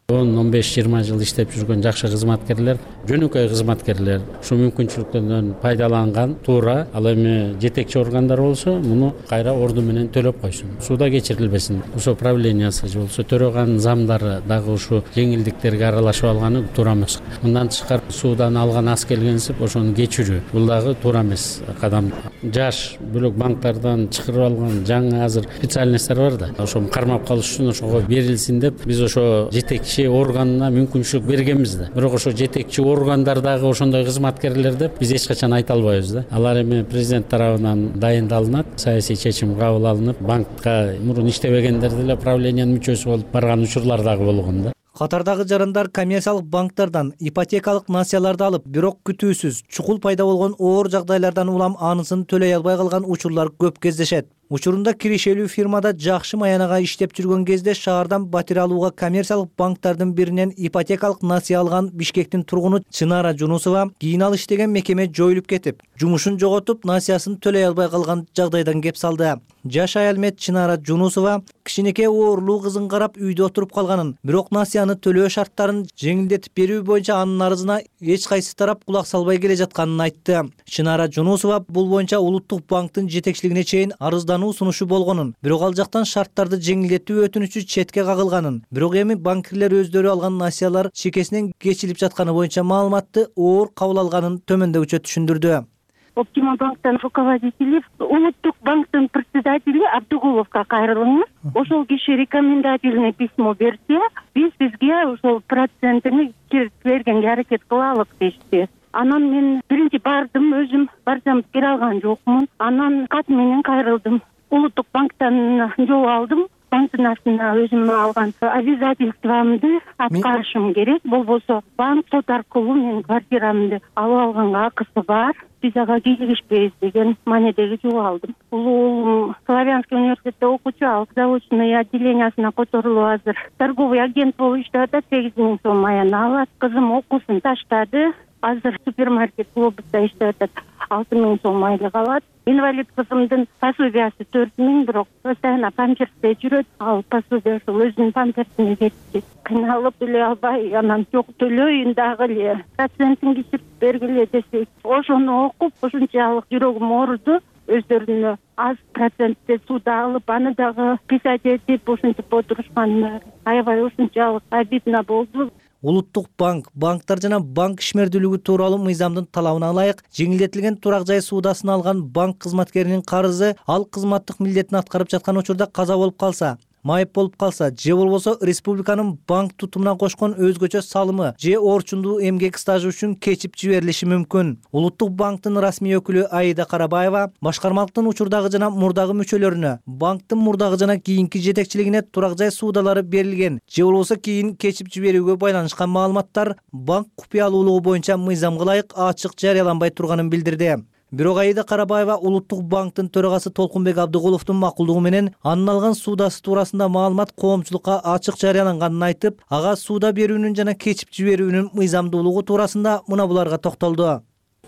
он он беш жыйырма жыл иштеп жүргөн жакшы кызматкерлер, жөнөкөй кызматкерлер ушул мүмкүнчүлүктөрдөн пайдаланган туура. Ал эми жетекчи органдар болсо, муну кайра орду менен төлөп койсун. Сууда кечирилбесин. Ошо правлениясы же болсо төрөган замдары дагы ушу жеңилдиктерге аралашып алганы туура эмес. Мындан тышкары суудан алган аз келгенсип ошону кечирүү. Бул дагы туура эмес кадам. Жаш бөлөк банктардан чыгарып алган жаңы азыр специальностьтер бар да. Ошону кармап калыш үчүн ошого берилсин деп биз ошо жетекчи органына мүмкүнчүлүк бергенбиз да. Бирок ошо жетекчи органдардагы ошондой кызматкерлер деп биз эч качан айта албайбыз да. Алар эми президент тарабынан дайындалынат, саясий чечим кабыл алынып, банкка мурун иштебегендер деле правлениянын мүчөсү болуп барган учурлар дагы болгон да. Катардагы жарандар коммерциялык банктардан ипотекалык насыяларды алып, бирок күтүүсүз чукул пайда болгон оор жагдайлардан улам анысын төлөй албай калган учурлар көп кездешет. Учурунда киришелүү фирмада жакшы маянага иштеп жүргөн кезде шаардан батир алууга коммерциялык банктардын биринен ипотекалык насыя алган Бишкектин тургуну Чынара Жунусова кийин ал иштеген мекеме жоюлуп кетип, жумушун жоготуп, насыясын төлөй албай калган жагдайдан кеп салды. Жаш аял мет Чынара Жунусова кичинекей оорлуу кызын карап үйдө отуруп калганын, бирок насыяны төлөө шарттарын жеңилдетип берүү боюнча анын арызына эч кайсы тарап кулак салбай келе жатканын айтты. Чынара Жунусова бул боюнча улуттук банктын жетекчилигине чейин арыздануу сунушу болгонун, бирок ал жактан шарттарды жеңилдетүү өтүнүчү четке кагылганын, бирок эми банкирлер өздөрү алган насыялар чекесинен кечилип жатканы боюнча маалыматты оор кабыл алганын төмөндөгүчө түшүндүрдү. Оптима банктан руководители, улуттук банктын председатели Абдугуловго кайрылыңыз. Ошол киши рекомендательный письмо берсе, биз бизге ошол процентini бергенге аракет кылалык дешти. Анан мен биринчи бардым, өзүм барсам бере алган жокмун. Анан кат менен кайрылдым. Улуттук банктан жол алдым. Банктын астына өзүм алган обязательствомду аткарышым керек. Болбосо банк сот аркылуу менин квартирамды алып алганга акысы бар. Биз ага кийлигишпейбиз деген маанедеги жол алдым. Улуу уулум Славянский университетте окуучу, ал заочный отделениясына которулуп азыр торговый агент болуп иштеп атат, сегиз миң сом аяна алат. Кызым окуусун таштады. Азыр супермаркет Глобуста иштеп атат, алты миң сом айлык алат. Инвалид кызымдын пособиясы төрт миң, бирок постоянно памперсте жүрөт. Ал пособия ошол өзүнүн памперсине кетти. Кыйналып төлөй албай, анан жок төлөйүн дагы эле, процентин кесип бергиле десек, ошону окуп ушунчалык жүрөгүм ооруду. Өздөрүнө аз процентте сууда алып, аны дагы писать этип ушинтип отурушкан. Аябай ушунчалык обидно болду. Улуттук банк, банктар жана банк ишмердүүлүгү тууралуу мыйзамдын талабына ылайык жеңилдетилген турак жай суудасын алган банк кызматкеринин карызы ал кызматтык милдетин аткарып жаткан учурда каза болуп калса, майып болуп калса же болбосо республиканын банк тутумуна кошкон өзгөчө салымы же орчундуу эмгек стажы үчүн кечип жиберилиши мүмкүн. Улуттук банктын расмий өкүлү Аида Карабаева башкармалыктын учурдагы жана мурдагы мүчөлөрүнө, банктын мурдагы жана кийинки жетекчилигине турак жай суудалары берилген же болбосо кийин кечип жиберүүгө байланышкан маалыматтар банк купуялуулугу боюнча мыйзамга ылайык ачык жарыяланбай турганын билдирди. Бирок Аида Карабаева улуттук банктын төрагасы Толкунбек Абдыгуловдун макулдугу менен анын алган суудасы туурасында маалымат коомчулукка ачык жарыяланганын айтып, ага сууда берүүнүн жана кечип жиберүүнүн мыйзамдуулугу туурасында мына буларга токтолду.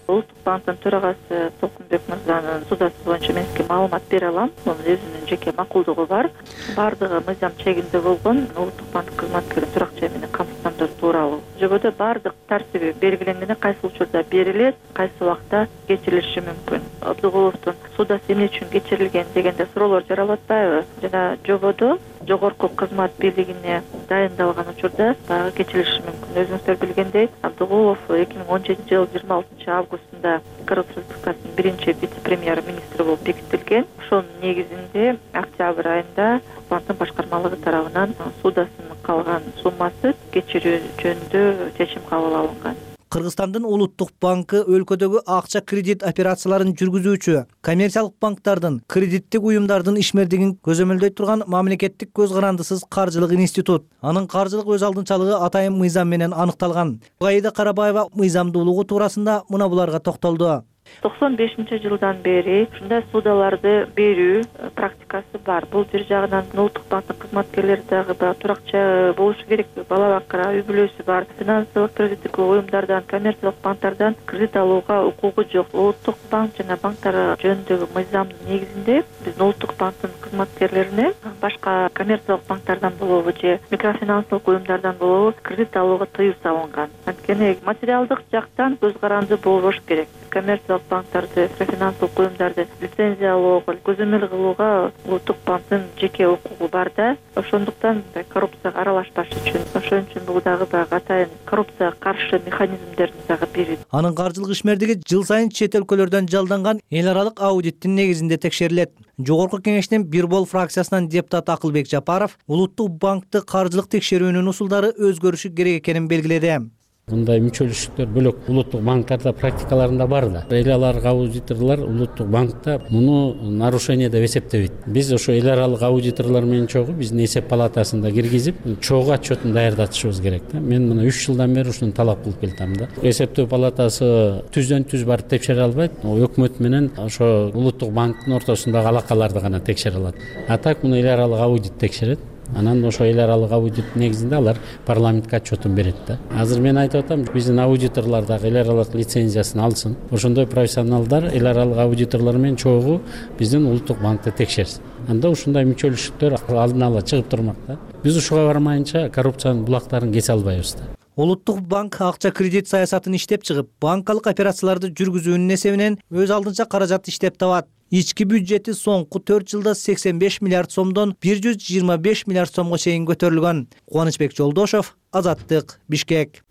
Улуттук банктын төрагасы Толкунбек мырзанын суудасы боюнча мен сизге маалымат бере алам. Мунун өзүнүн жеке макулдугу бар. Бардыгы мыйзам чегинде болгон. Улуттук банк кызматкерин турак жай менен камсыздандыруу тууралуу жободо бардык тартиби белгиленген, кайсы учурда берилет, кайсы убакта кечирилиши мүмкүн. Абдыгуловдун суудасы эмне үчүн кечирилген дегенде суроолор жаралып атпайбы? Жана жободо жогорку кызмат бийлигине дайындалган учурда дагы кечирилиши мүмкүн. Өзүңүздөр билгендей, Абдыгулов эки миң он жетинчи жылы жыйырма алтынчы августунда Кыргыз Республикасынын биринчи вице-премьер-министри болуп бекитилген. Ошонун негизинде октябрь айында банктын башкармалыгы тарабынан суудасынын калган суммасы кечирүү жөнүндө чечим кабыл алынган. Кыргызстандын улуттук банкы өлкөдөгү акча кредит операцияларын жүргүзүүчү коммерциялык банктардын, кредиттик уюмдардын ишмердигин көзөмөлдөй турган мамлекеттик көз карандысыз каржылык институт. Анын каржылык өз алдынчалыгы атайын мыйзам менен аныкталган. Аида Карабаева мыйзамдуулугу туурасында мына буларга токтолду. токсон бешинчи жылдан бери ушундай ссудаларды берүү практикасы бар. Бул бир жагынан улуттук банктын кызматкерлери дагы туракча болушу керек, бала бакыра үй бүлөсү бар, финансылык кредиттик уюмдардан, коммерциялык банктардан кредит алууга укугу жок. Улуттук банк жана банктар жөнүндөгү мыйзамдын негизинде биздин улуттук банктын кызматкерлерине башка коммерциялык банктардан болобу же микрофинансылык уюмдардан болобу кредит алууга тыюу салынган. Анткени материалдык жактан көз каранды болбош керек. Коммерциялык банктарды, микрофинансылык уюмдарды лицензиялоого, көзөмөл кылууга улуттук банктын жеке укугу бар да. Ошондуктан коррупцияга аралашпаш үчүн, ошон үчүн бул дагы баягы атайын коррупцияга каршы механизмдерин дагы берүү. Анын каржылык ишмердиги жыл сайын чет өлкөлөрдөн жалданган эл аралык аудиттин негизинде текшерилет. Жогорку кеңештин Бирбол фракциясынан депутат Акылбек Жапаров улуттук банкты каржылык текшерүүнүн усулдары өзгөрүшү керек экенин белгиледи. Мындай мүчөлүштүктөр бөлөк улуттук банктарда практикаларында бар да. Эл аралык аудиторлор улуттук банкта муну нарушение деп эсептебейт. Биз ошо эл аралык аудиторлор менен чогуу биздин эсеп палатасында киргизип, чогуу отчетун даярдатышыбыз керек да. Мен мына үч жылдан бери ушуну талап кылып келатам да. Эсептөө палатасы түздөн түз барып текшере албайт. Өкмөт менен ошо улуттук банктын ортосундагы алакаларды гана текшере алат. А так муну эл аралык аудит текшерет. Анан ошо эл аралык аудит негизинде алар парламентке отчетун берет да. Азыр мен айтып атам, биздин аудиторлор дагы эл аралык лицензиясын алсын. Ошондой профессионалдар эл аралык аудиторлор менен чогуу биздин улуттук банкты текшерсин. Анда ушундай мүчөлүштүктөр алдын ала чыгып турмак да. Биз ушуга бармайынча коррупциянын булактарын кесе албайбыз да. Улуттук банк акча кредит саясатын иштеп чыгып, банкалык операцияларды жүргүзүүнүн эсебинен өз алдынча каражат иштеп табат. Ички бюджети соңку төрт жылда сексен беш миллиард сомдон бир жүз жыйырма беш миллиард сомго чейин көтөрүлгөн. Кубанычбек Жолдошов, Азаттык, Бишкек.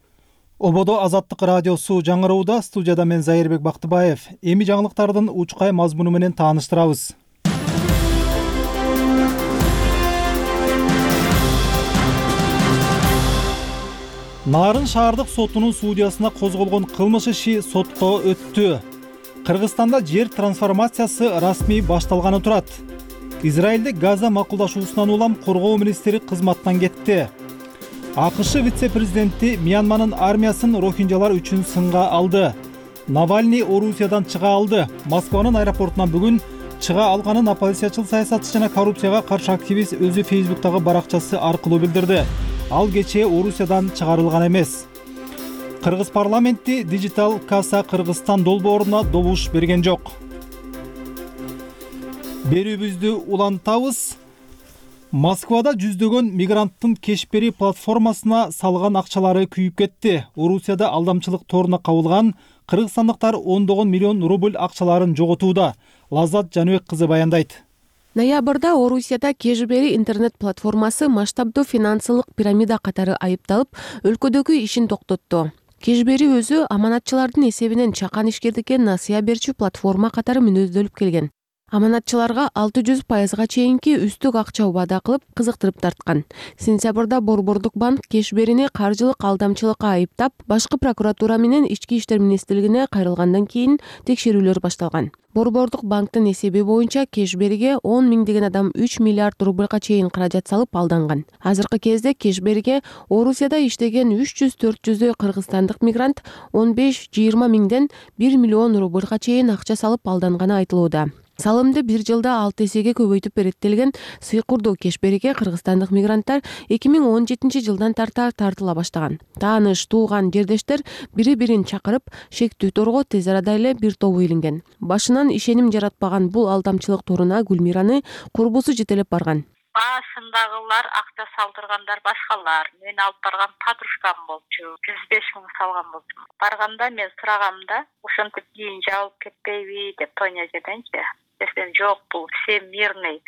Ободо Азаттык радиосу жаңыроодо, студияда мен Зайырбек Бактыбаев. Эми жаңылыктардын учкай мазмуну менен тааныштырабыз. Нарын шаардык сотунун судьясына козголгон кылмыш иши сотко өттү. Кыргызстанда жер трансформациясы расмий башталганы турат. Израилде Газа макулдашуусунан улам коргоо министри кызматтан кетти. АКШ вице-президенти Мьянманын армиясын рохинджалар үчүн сынга алды. Навальный Орусиядан чыга алды. Москванын аэропортунан бүгүн чыга алганын оппозициячыл саясатчы жана коррупцияга каршы активист өзү Фейсбуктагы баракчасы аркылуу билдирди. Ал кечээ Орусиядан чыгарылган эмес. Кыргыз парламенти Digital Kasa Кыргызстан долбооруна добуш берген жок. Берүүбүздү улантабыз. Москвада жүздөгөн мигранттын Кешбери платформасына салган акчалары күйүп кетти. Орусияда алдамчылык торуна кабылган кыргызстандыктар ондогон миллион рубль акчаларын жоготууда. Лаззат Жаныбек кызы баяндайт. Ноябрда Орусияда Кешбери интернет-платформасы масштабдуу финансылык пирамида катары айыпталып, өлкөдөгү ишин токтотту. Кешбери өзү аманатчылардын эсебинен чакан ишкердикке насыя берчү платформа катары мүнөздөлүп келген. Аманатчыларга алты жүз пайызга чейинки үстүк акча убада кылып кызыктырып тарткан. Сентябрда Борбордук банк Кешберини каржылык алдамчылыкка айыптап, башкы прокуратура менен Ички иштер министрлигине кайрылгандан кийин текшерүүлөр башталган. Борбордук банктын эсеби боюнча Кешбериге он миңдеген адам үч миллиард рубльга чейин каражат салып алданган. Азыркы кезде Кешбериге Орусияда иштеген үч жүз төрт жүздөй кыргызстандык мигрант он беш жыйырма миңден бир миллион рубльга чейин акча салып алданганы айтылууда. Салымды бир жылда алты эсеге көбөйтүп береттелген сыйкурдуу Кешбериге кыргызстандык мигранттар эки миң он жетинчи жылдан тарта тартыла баштаган. Тааныш, тууган, жердештер бири-бирин чакырып, шектүү торго тез арада эле бир тобу илинген. Башынан ишеним жаратпаган бул алдамчылык торуна Гүлмираны курбусу жетелеп барган. Башындагылар акча салдыргандар башкалар. Мен алып барган подружкам болчу. жүз беш миң салган болчу. Барганда мен сурагамда, ошентип кийин жабылып кетпейби деп Тоня жеденчи. Десем жок, бул все мирный.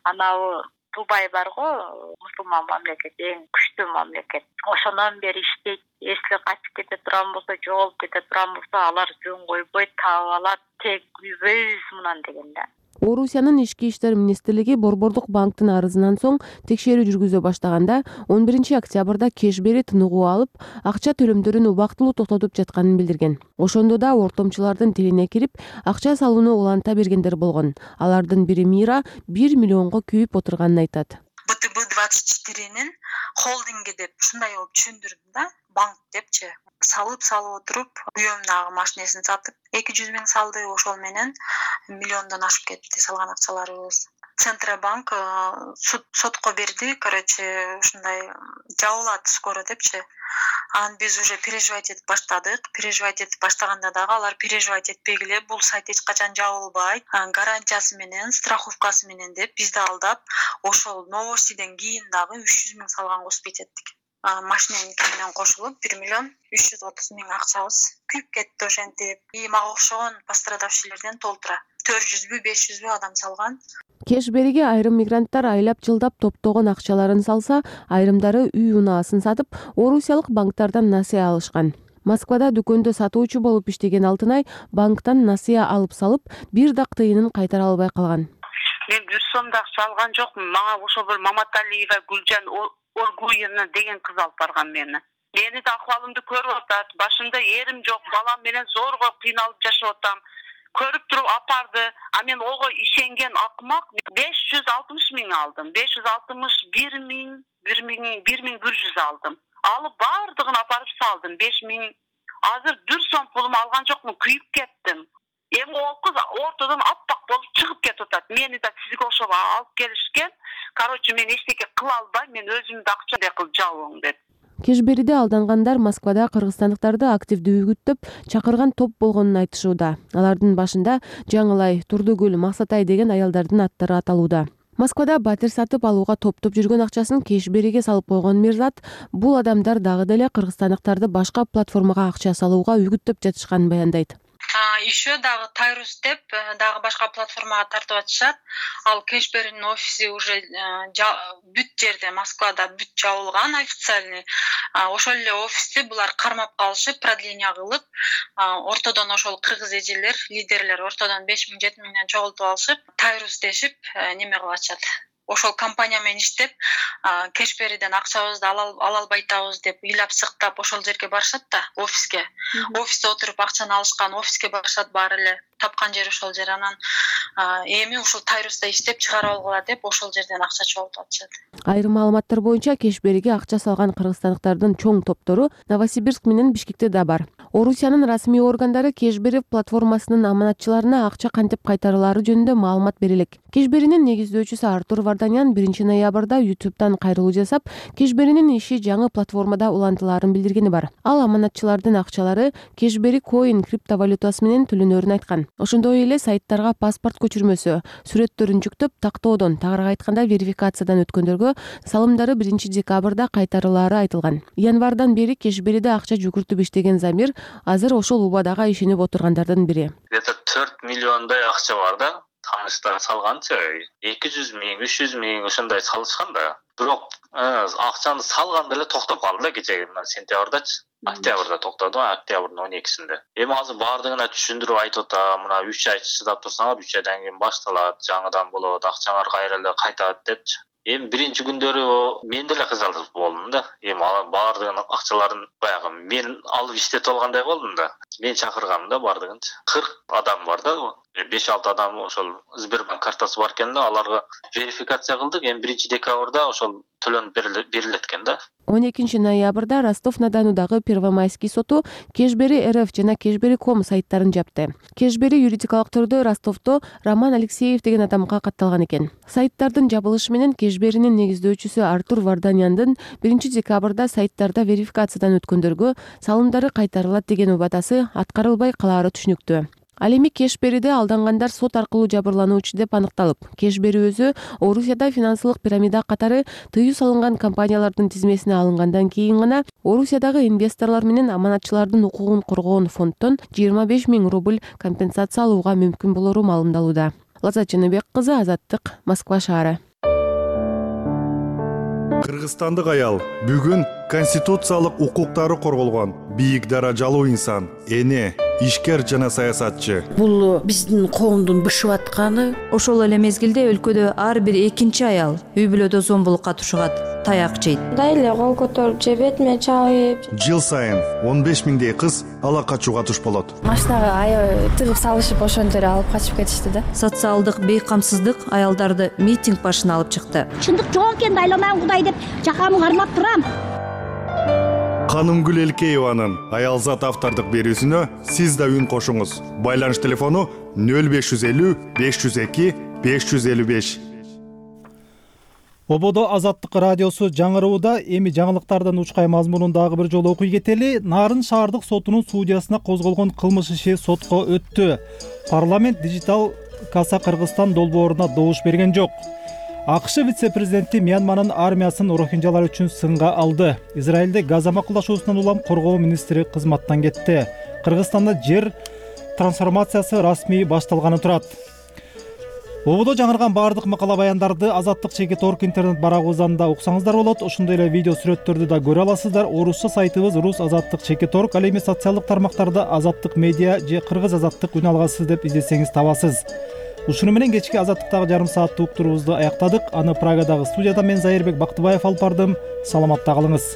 Анау Дубай барго, мусулман мамлекет, эң күчтүү мамлекет. Ошондон бери иштейт. Эсли качып кете турган болсо, жоголуп кете турган болсо, алар жөн койбойт, таап алат, тек үйбөйбүз мынан деген да. Орусиянын ички иштер министрлиги Борбордук банктын арызынан соң текшерүү жүргүзө баштаганда он биринчи октябрда Кешбери тыныгуу алып, акча төлөмдөрүн убактылуу токтотуп жатканын билдирген. Ошондо да ортомчулардын тилине кирип, акча салууну уланта бергендер болгон. Алардын бири Мира бир миллионго күйүп отурганын айтат. бэ тэ бэ двадцать четыренин холдинги деп ушундай болуп түшүндүрдүм да, банк депчи. Салып салып отуруп, уюмдагы машинесин сатып, эки жүз миң салды, ошол менен миллиондон ашып кетти салган акчаларыбыз. Центробанк сотко берди, короче, ушундай жабылат скоро депчи. Анан биз уже переживать этип баштадык. Переживать этип баштаганда дагы алар переживать этпегиле, бул сайт эч качан жабылбайт, гарантиясы менен, страховкасы менен деп бизди алдап, ошол новостиден кийин дагы үч жүз миң салганга успеть эттик. Машиненики менен кошулуп бир миллион үч жүз отуз миң акчабыз күйүп кетти ошентип. И мага окшогон пострадавшийлерден толтура төрт жүзбү беш жүзбү адам салган. Кешбериге айрым мигранттар айлап жылдап топтогон акчаларын салса, айрымдары үй унаасын сатып, орусиялык банктардан насыя алышкан. Москвада дүкөндө сатуучу болуп иштеген Алтынай банктан насыя алып салып, бир дак тыйынын кайтара албай калган. Мен бир сом да акча алган жокмун. Мага ошо бир Маматалиева Гүлжан Оргуевна деген кыз алып барган мени. Мени да акыбалымды көрүп атат. Башымда эрим жок, балам менен зорго кыйналып жашап атам. Көрүп туруп апарды. А мен ого ишенген акмак беш жүз алтымыш миң алдым. беш жүз алтымыш бир миң, бир миң, бир миң бир жүз алдым. Алып бардыгын апарып салдым. беш миң. Азыр бир сом пулум алган жокмун, күйүп кеттим. Эми ол кыз ортодон аппак болуп чыгып кетип атат. Мени да сизге окшоп алып келишкен. Короче, мен эчтеке кыла албайм, мен өзүмдү акча кылып жабың деп. Кешбериде алдангандар Москвада кыргызстандыктарды активдүү үгүттөп чакырган топ болгонун айтышууда. Алардын башында Жаңылай, Турдугүл, Максатай деген аялдардын аттары аталууда. Москвада батир сатып алууга топтоп жүргөн акчасын Кешбериге салып койгон Мирзат, бул адамдар дагы деле кыргызстандыктарды башка платформага акча салууга үгүттөп жатышканын баяндайт. Еще дагы Тайрус деп дагы башка платформага тартып атышат. Ал Кешберинин офиси уже бүт жерде Москвада бүт жабылган официальный. Ошол эле офисти булар кармап калышып, продление кылып, ортодон ошол кыргыз эжелер, лидерлер ортодон беш миң жети миңден чогултуп алышып, Тайрус дешип неме кылып атышат. Ошол компания менен иштеп, Кешбериден акчабызды ала албай атабыз деп ыйлап сыктап ошол жерге барышат да, офиске. Офисте отуруп акчаны алышкан, офиске барышат баары эле. Тапкан жери ошол жер. Анан эми ушул Тайруста иштеп чыгарып алгыла деп ошол жерден акча чогултуп атышат. Айрым маалыматтар боюнча Кешбериге акча салган кыргызстандыктардын чоң топтору Новосибирск менен Бишкекте да бар. Орусиянын расмий органдары Кешбери платформасынын аманатчыларына акча кантип кайтарылары жөнүндө маалымат бере элек. Кешберинин негиздөөчүсү Артур Варданян биринчи ноябрда YouTube'дан кайрылуу жасап, Кешберинин иши жаңы платформада улантылаарын билдиргени бар. Ал аманатчылардын акчалары Кешбери Coin криптовалютасы менен төлөнөрүн айткан. Ошондой эле сайттарга паспорт көчүрмөсү, сүрөттөрүн жүктөп, тактоодон, тагыраак айтканда верификациядан өткөндөргө салымдары биринчи декабрда кайтарылаары айтылган. Январдан бери Кешбериде акча жүгүртүп иштеген Замир азыр ошол убадага ишенип отургандардын бири. Где-то төрт миллиондай акча бар да. Таныштар салганчы эки жүз миң, үч жүз миң ошондой салышкан да. Бирок акчаны салганда эле токтоп калды да кечеги сентябрдачы. Октябрда токтоду, октябрдын он экисинде. Эми азыр баардыгына түшүндүрүп айтып атам, мына үч ай чыдап турсаңар, үч айдан кийин башталат, жаңыдан болот, акчаңар кайра эле кайтат депчи. Эми биринчи күндөрү мен деле кызардып болдум да. Эми баардыгынын акчаларын баягы мен алып иштетип алгандай болдум да. Мен чакыргам да баардыгынчы. кырк адам бар да. беш алты адам ошол Сбербанк картасы бар экен да, аларга верификация кылдык. Эми биринчи декабрда ошол төлөнүп берилет экен да. он экинчи ноябрда Ростов-на-Донудагы Первомайский соту Кешбери эр эф жана Кешбери точка ком сайттарын жапты. Кешбери юридикалык түрдө Ростовдо Роман Алексеев деген адамга катталган экен. Сайттардын жабылышы менен Кешберинин негиздөөчүсү Артур Варданьяндын биринчи декабрда сайттарда верификациядан өткөндөргө салымдары кайтарылат деген убадасы аткарылбай калаары түшүнүктүү. Ал эми Кешбериде алдангандар сот аркылуу жабырлануучу деп аныкталып, Кешбери өзү Орусияда финансылык пирамида катары тыюу салынган компаниялардын тизмесине алынгандан кийин гана Орусиядагы инвесторлор менен аманатчылардын укугун коргоон фонддон жыйырма беш миң рубль компенсация алууга мүмкүн болору маалымдалууда. Лаззат Жаныбек кызы, Азаттык, Москва шаары. Кыргызстандык аял бүгүн конституциялык укуктары корголгон бийик даражалуу инсан, эне, ишкер жана саясатчы. Бул биздин коомдун бышып атканы. Ошол эле мезгилде өлкөдө ар бир экинчи аял үй бүлөдө зомбулукка тушугат, таяк жейт. Мындай эле кол көтөрүп же бетиме чабып. Жыл сайын он беш миңдей кыз ала качууга туш болот. Машинага аябай тыгып салышып ошентип алып качып кетишти да. Социалдык бейкамсыздык аялдарды митинг башына алып чыкты. Чындык жок экенин айламан Кудай деп жакамды кармап турам. Канымгүл Элкееванын Аялзат автордук берүүсүнө сиз да үн кошуңуз. Байланыш телефону нөл беш жүз элүү беш жүз эки беш жүз элүү беш. Ободо Азаттык радиосу жаңырууда. Эми жаңылыктардын учкай мазмунун дагы бир жолу окуй кетели. Нарын шаардык сотунун судьясына козголгон кылмыш иши сотко өттү. Парламент дижитал каса Кыргызстан долбооруна добуш берген жок. АКШ вице-президенти Мьянманын армиясын рохинжалар үчүн сынга алды. Израилде газа макулдашуусунан улам коргоо министри кызматтан кетти. Кыргызстанда жер трансформациясы расмий башталганы турат. Ободо жаңырган баардык макала баяндарды Азаттык чекит орг интернет барагыбыздан уксаңыздар болот. Ошондой эле видео сүрөттөрдү да көрө аласыздар. Орусча сайтыбыз рус азаттык чекит орг, ал эми социалдык тармактарда Азаттык медиа же Кыргыз азаттык үн алгасыз деп издесеңиз табасыз. Ушуну менен кечки Азаттыктагы жарым сааттык уктуруубузду аяктадык. Аны Прагадагы студияда мен Зайырбек Бактыбаев алып бардым. Саламатта калыңыз.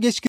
Кечки